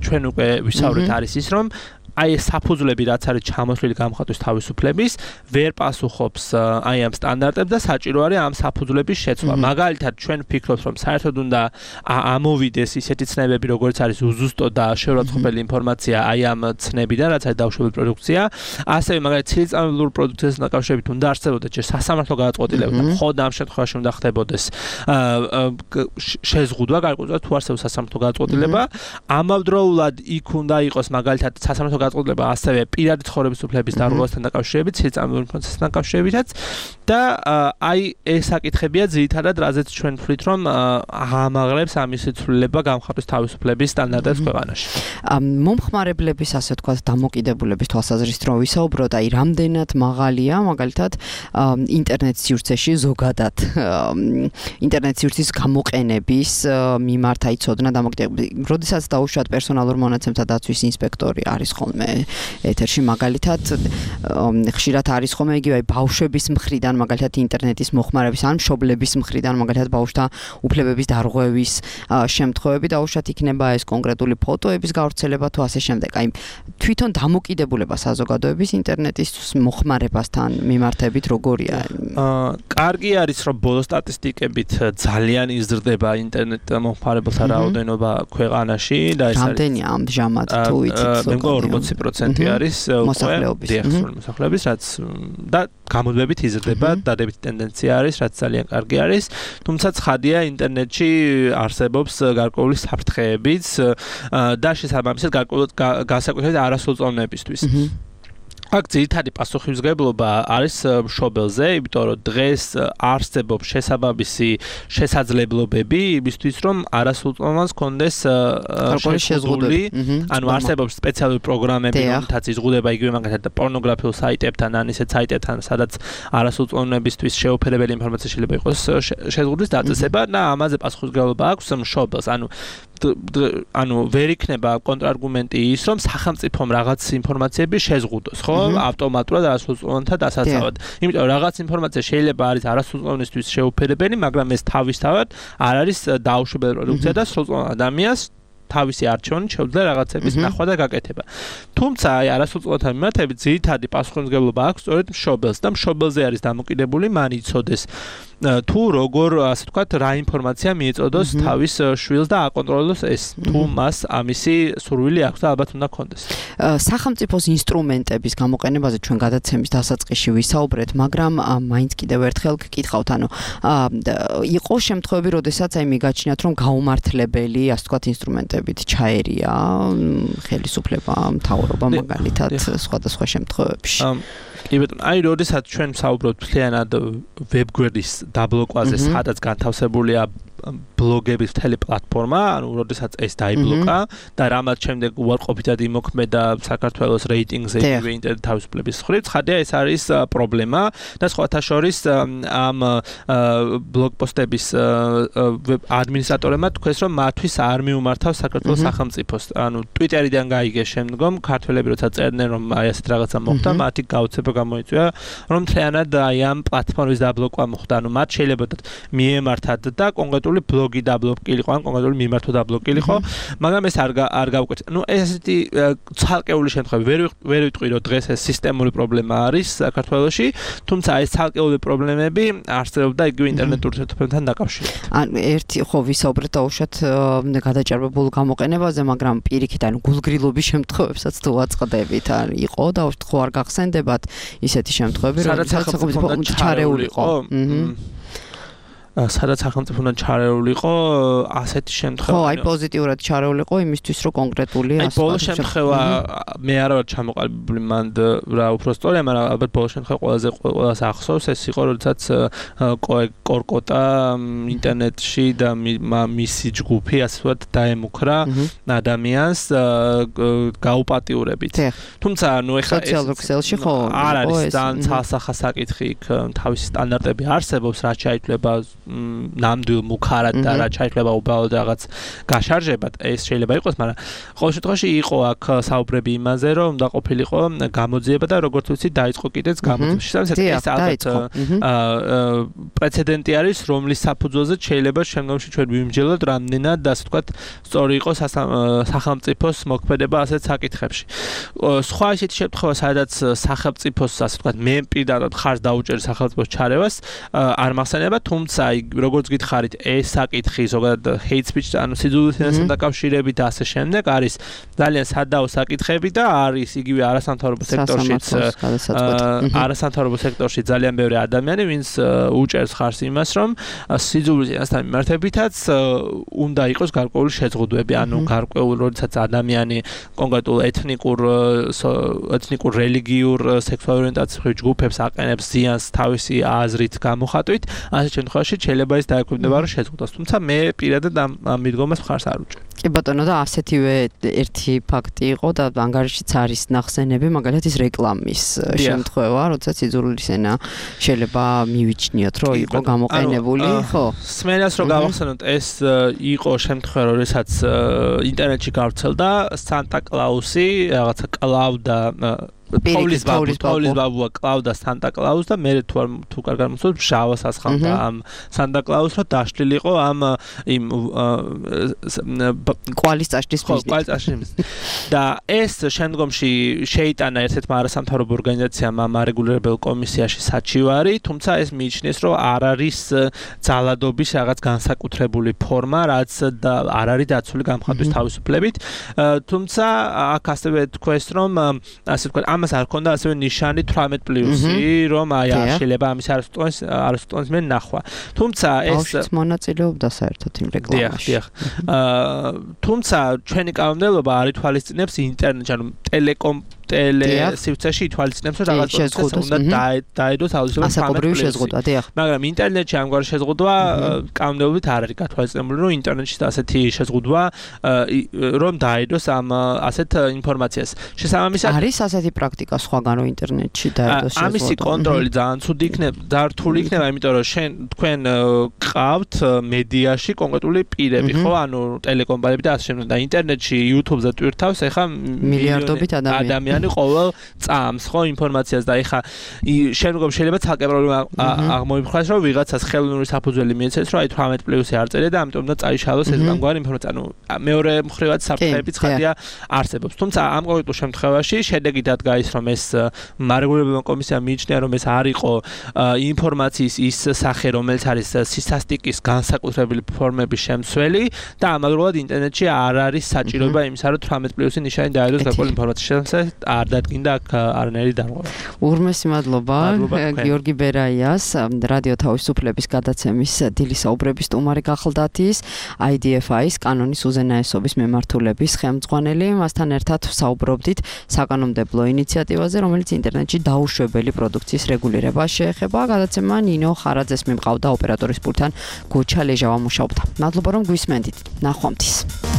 ჩვენ უკვე ვისაუბრეთ არის ის, რომ აი ეს საფუძვლები რაც არის ჩამოთვლილი გამხატვის თავისუფლების ვერ პასუხობს აი ამ სტანდარტებს და საჭირო არის ამ საფუძვლების შეცვლა. მაგალითად ჩვენ ვფიქრობთ რომ საერთოდ უნდა ამოვიდეს ისეთი ცნებები როგორც არის უზუსტო და შეურაცხყოფელი ინფორმაცია აი ამ ცნებიდან რაც არის დაუშვებელი პროდუქცია. ასევე მაგალითად ცილისწამებულ პროდუქციას დაკავშირებით უნდა არსებობდეს ჯერ სასამართლო გადაწყვეტილება და მხოლოდ ამ შემთხვევაში უნდა ხდებოდეს შეზღუდვა გარკვეულწილად თუ არსებობს სასამართლო გადაწყვეტილება. ამავდროულად იქ უნდა იყოს მაგალითად სასამართლო გადაწყვეტილება ასევე პირადი ცხოვრების უფლების დარღვევასთან დაკავშირებით, ცილისწამებულ პროცესთან დაკავშირებითაც და აი ეს საკითხებია ძირითადად რაზეც ჩვენ ვთვლით რომ ამაღლებს ამის ცვლილება გამხატვის თავისუფლების სტანდარტებს ქვეყანაში. მომხმარებლების ასე ვთქვათ დამოკიდებულების თვალსაზრისით რომ ვისაუბროთ, აი რამდენად მაღალია მაგალითად ინტერნეტ სივრცეში ზოგადად ინტერნეტ სივრცის გამოყენების მიმართ აი ცოდნა დამოკიდებულება. როდესაც დაუშვათ პერსონალურ მონაცემთა დაცვის ინსპექტორი არის ხოლმე ეთერში მაგალითად ხშირად არის ხოლმე იგივე ბავშვების მხრიდან მაგალითად ინტერნეტის მოხმარების ან მშობლების მხრიდან მაგალითად ბავშვთა უფლებების დარღვევის შემთხვევები და უშუალოდ იქნება ეს კონკრეტული ფოტოების გავრცელება თუ ასე შემდეგ. აი თვითონ დამოკიდებულება საზოგადოების ინტერნეტის მოხმარებასთან მიმართებით როგორია? კარგი არის რომ ბოლო სტატისტიკებით ძალიან იზრდება ინტერნეტ მოხმარებელთა რაოდენობა ქვეყანაში და ეს არის რამდენია ამჟამად თუ იცით? მე მგონი 20% არის მოსახლეობის, რაც და გამოძებით იზრდება, დადებითი ტენდენცია არის, რაც ძალიან კარგი არის. თუმცა ცხადია, ინტერნეტში არსებობს გარკვეული საფრთხეებიც და შესაბამისად განსაკუთრებით არასრულწლოვნებისთვის. აქ ძირითადი პასუხისმგებლობა არის მშობელზე, იმიტომ რომ დღეს არსებობს შესაბამისი შესაძლებლობები იმისთვის, რომ არასრულწლოვანს კონდეს შეზღუდული, ანუ არსებობს სპეციალური პროგრამები, რომელთაც იზღუდება იგივე მაგალითად პორნოგრაფიულ საიტებთან, ან ისეთ საიტებთან, სადაც არასრულწლოვნებისთვის შეუფერებელი ინფორმაცია შეიძლება იყოს შეზღუდვის დაწესება და ამაზე პასუხისმგებლობა აქვს მშობელს, ანუ ვერ იქნება კონტრარგუმენტი ის, რომ სახელმწიფომ რაღაც ინფორმაციები შეზღუდოს, ხო? ავტომატურად არასრულწლოვანთა დასაცავად. იმიტომ რაღაც ინფორმაცია შეიძლება არის არასრულწლოვანისთვის შეუფერებელი, მაგრამ ეს თავისთავად არ არის დაუშვებელი პროდუქცია და სრულწლოვან ადამიანს თავისი არჩევანი შეუძლია რაღაცების ნახვა და გაკეთება. თუმცა აი არასრულწლოვანთა მიმართებით ძირითადი პასუხისმგებლობა აქვს სწორედ მშობელს და მშობელზე არის დამოკიდებული მან იცოდეს თუ როგორ ასე ვთქვათ რა ინფორმაცია მიეწოდოს თავის შვილს და აკონტროლოს ეს თუ მას ამისი სურვილი აქვს და ალბათ უნდა კონდეს. სახელმწიფოს ინსტრუმენტების გამოყენებაზე ჩვენ გადაცემის დასაწყისში ვისაუბრეთ, მაგრამ მაინც კიდევ ერთხელ გკითხავთ, ანუ იყო შემთხვევები, როდესაც აი მიგაჩნიათ, რომ გაუმართლებელი, ასე ვთქვათ, ინსტრუმენტებით ჩაერია ხელისუფლება, მთავრობა მაგალითად სხვადასხვა შემთხვევებში. კი ბატონო, აი როდესაც ჩვენ ვსაუბრობთ მთლიანად ვებგვერდის დაბლოკვაზე, სადაც განთავსებულია ბლოგების მთელი პლატფორმა, ანუ როდესაც ეს დაიბლოკა და რამაც შემდეგ უარყოფითად იმოქმედა საქართველოს რეიტინგზე იგივე ინტერნეტ თავისუფლების მხრივ, ცხადია ეს არის პრობლემა და სხვათა შორის ამ ბლოგპოსტების ადმინისტრატორებმა თქვეს, რომ მათთვის არ მიუმართავს საქართველოს სახელმწიფოს. ანუ ტვიტერიდან გაიგეს შემდგომ ქართველები როცა წერდნენ, რომ აი ასეთ რაღაცა მოხდა, მათი გაუცება გამოიწვია, რომ მთლიანად აი ამ პლატფორმის დაბლოკვა მოხდა. ანუ მათ შეიძლება მიემართათ და კონკრეტული ბლოგი დაბლოკილიყო, ან კონკრეტული მიმართვა დაბლოკილიყო, მაგრამ ეს არ გავკვეთა. ნუ ესეთი ცალკეული შემთხვევები ვერ ვიტყვი, რომ დღეს ეს სისტემური პრობლემა არის საქართველოში, თუმცა ეს ცალკეული პრობლემები არსებობდა იგივე ინტერნეტურ ურთიერთობებთან დაკავშირებით. ან ერთი ხო ვისაუბრეთ დაუშვათ გადაჭარბებულ გამოყენებაზე, მაგრამ პირიქით, ანუ გულგრილობის შემთხვევებსაც თუ აწყდებით, ან იყო და ხო არ გახსენდებათ ისეთი შემთხვევები, როდესაც სახელმწიფო ჩარეული იყო. სადაც სახელმწიფოდან ჩარეული იყო ასეთი შემთხვევა. ხო, აი პოზიტიურად ჩარეული იყო იმისთვის, რომ კონკრეტული აი ბოლო შემთხვევა მე არ ვარ ჩამოყალიბებული მანდ რა უფრო სწორია, მაგრამ ალბათ ბოლო შემთხვევა ყველაზე ახსოვს ეს იყო, როდესაც კორკოტა ინტერნეტში და მისი ჯგუფი ასე ვთქვათ დაემუქრა ადამიანს გაუპატიურებით. თუმცა ნუ ეხლა სოციალურ ქსელში ხო არ არის ძალიან ცალსახა საკითხი იქ თავისი სტანდარტები არსებობს, რაც შეიძლება ნამდვილ მუქარად და რა ჩაითვლება უბრალოდ რაღაც გაშარჟებად ეს შეიძლება იყოს, მაგრამ ყოველ შემთხვევაში იყო აქ საუბრები იმაზე, რომ უნდა ყოფილიყო გამოძიება და როგორც ვიცი დაიწყო კიდეც გამოძიება. ეს ალბათ პრეცედენტი არის, რომლის საფუძველზე შეიძლება შემდგომში ჩვენ ვიმსჯელოთ რამდენად ასე ვთქვათ სწორი იყო სახელმწიფოს მოქმედება ასეთ საკითხებში. სხვა ისეთი შემთხვევა, სადაც სახელმწიფოს ასე ვთქვათ მე პირდაპირ ხარს დაუჭერ სახელმწიფოს ჩარევას არ მახსენდება, თუმცა როგორც გითხარით, ეს საკითხი ზოგადად hate speech, ანუ სიძულვილესთან დაკავშირებით და ასე შემდეგ არის ძალიან სადაო საკითხები და არის იგივე არასამთავრობო სექტორში ძალიან ბევრი ადამიანი, ვინც უჭერს ხარს იმას, რომ სიძულვილესთან მიმართებითაც უნდა იყოს გარკვეული შეზღუდვები, ანუ გარკვეული როდესაც ადამიანი კონკრეტულ ეთნიკურ, რელიგიურ, სექსუალურ ორიენტაციურ ჯგუფებს აყენებს ზიანს თავისი აზრით გამოხატვით, ასეთ შემთხვევაში შეიძლება ის დაეკვირდება რომ შეზღუდოს. თუმცა მე პირადად ამ მიდგომას მხარს არ უჭერ. კი ბატონო და ასეთივე ერთი ფაქტი იყო და ანგარიშიც არის ნახსენები, მაგალითად ის რეკლამის შემთხვევა, როდესაც სიძულვილესენა შეიძლება მივიჩნიოთ, რომ იყო გამოყენებული, ხო? სმენას რომ გავახსენოთ, ეს იყო შემთხვევა, როდესაც ინტერნეტში გავრცელდა სანტა კლაუსი, რაღაცა კლავდა თოვლის ბაბუა კლავდა Santa Claus და მე თუ კარგად მომწონს შავას ასხამდა ამ Santa Claus რო დაშლილიყო ამ იმ კვალის წაშლის და ეს შემდგომში შეიტანა ერთ-ერთმა არასამთავრობო ორგანიზაციამ ამ არეგულირებელ კომისიაში საჩივარი, თუმცა ეს მიიჩნიეს, რომ არ არის ძალადობის რაღაც განსაკუთრებული ფორმა, რაც არ არის დაცული გამხატვის თავისუფლებით. თუმცა აქ ასევე თქვეს, რომ ასე ვთქვათ, ამას არ ჰქონდა ასევე ნიშანი 18+, რომ აი არ შეიძლება ამის არასტონს მე ნახვა. თუმცა ეს მონაწილეობდა საერთოდ იმ რეკლამაში. დიახ. თუმცა ჩვენი კანონმდებლობა არ ითვალისწინებს ინტერნეტში, ანუ სივრცეში ითვალისწინებს, რომ რაღაც პროცესი უნდა დაედოს თავისუფლად ასაკობრივი შეზღუდვა, დიახ. მაგრამ ინტერნეტში ამგვარი შეზღუდვა კანონმდებლობით არ არის გათვალისწინებული, რომ ინტერნეტში ასეთი შეზღუდვა რომ დაედოს ამ ასეთ ინფორმაციას. შესაბამისად არის ასეთი პრაქტიკა სხვაგან რომ ინტერნეტში დაედოს შეზღუდვა. ამისი კონტროლი ძალიან ცუდი იქნება, რთული იქნება, იმიტომ რომ თქვენ ყავთ მედიაში კონკრეტული პირები, ხო? ანუ ტელეკომპანიები და ასე შემდეგ და ინტერნეტში YouTube-ზე ტვირთავს ეხა მილიარდობით ადამიანი ყოველ წამს ხო ინფორმაციას და ეხა შემდგომ შეიძლება ცალკე პრობლემა აღმოიფხვრას რომ ვიღაცას ხელოვნური საფუძველი მიეცეს რომ აი 18+ არ წერია და ამიტომ უნდა წაიშალოს ეს გამგვარი ინფორმაცია. ანუ მეორე მხრივად საფრთხეები ცხადია არსებობს. თუმცა ამ კონკრეტულ შემთხვევაში შედეგი დადგა ის რომ ეს არეგულირებელმა კომისიამ მიიჩნია რომ ეს არ იყო ინფორმაციის ის სახე რომელიც არის სისასტიკის განსაკუთრებული ფორმების შემცველი და ამავდროულად ინტერნეტში არ არის საჭიროება იმისა რომ 18+ ნიშანი დაედოს გარკვეული ინფორმაციის შესახებ არ დადგინდა აქ არანაირი დარღვევა. ურმესი მადლობა გიორგი ბერაიას, რადიო თავისუფლების გადაცემის დილის საუბრების სტუმარი გახლდათ ის IDFI-ის კანონის უზენაესობის მემართულების ხელმძღვანელი. მასთან ერთად საუბრობდით საკანონმდებლო ინიციატივაზე, რომელიც ინტერნეტში დაუშვებელი პროდუქციის რეგულირებას შეეხება. გადაცემა ნინო ხარაძეს მიმყავდა ოპერატორის პულტთან გოჩა ლეჟავა მუშაობდა. მადლობა რომ გვისმენდით. ნახვამდის.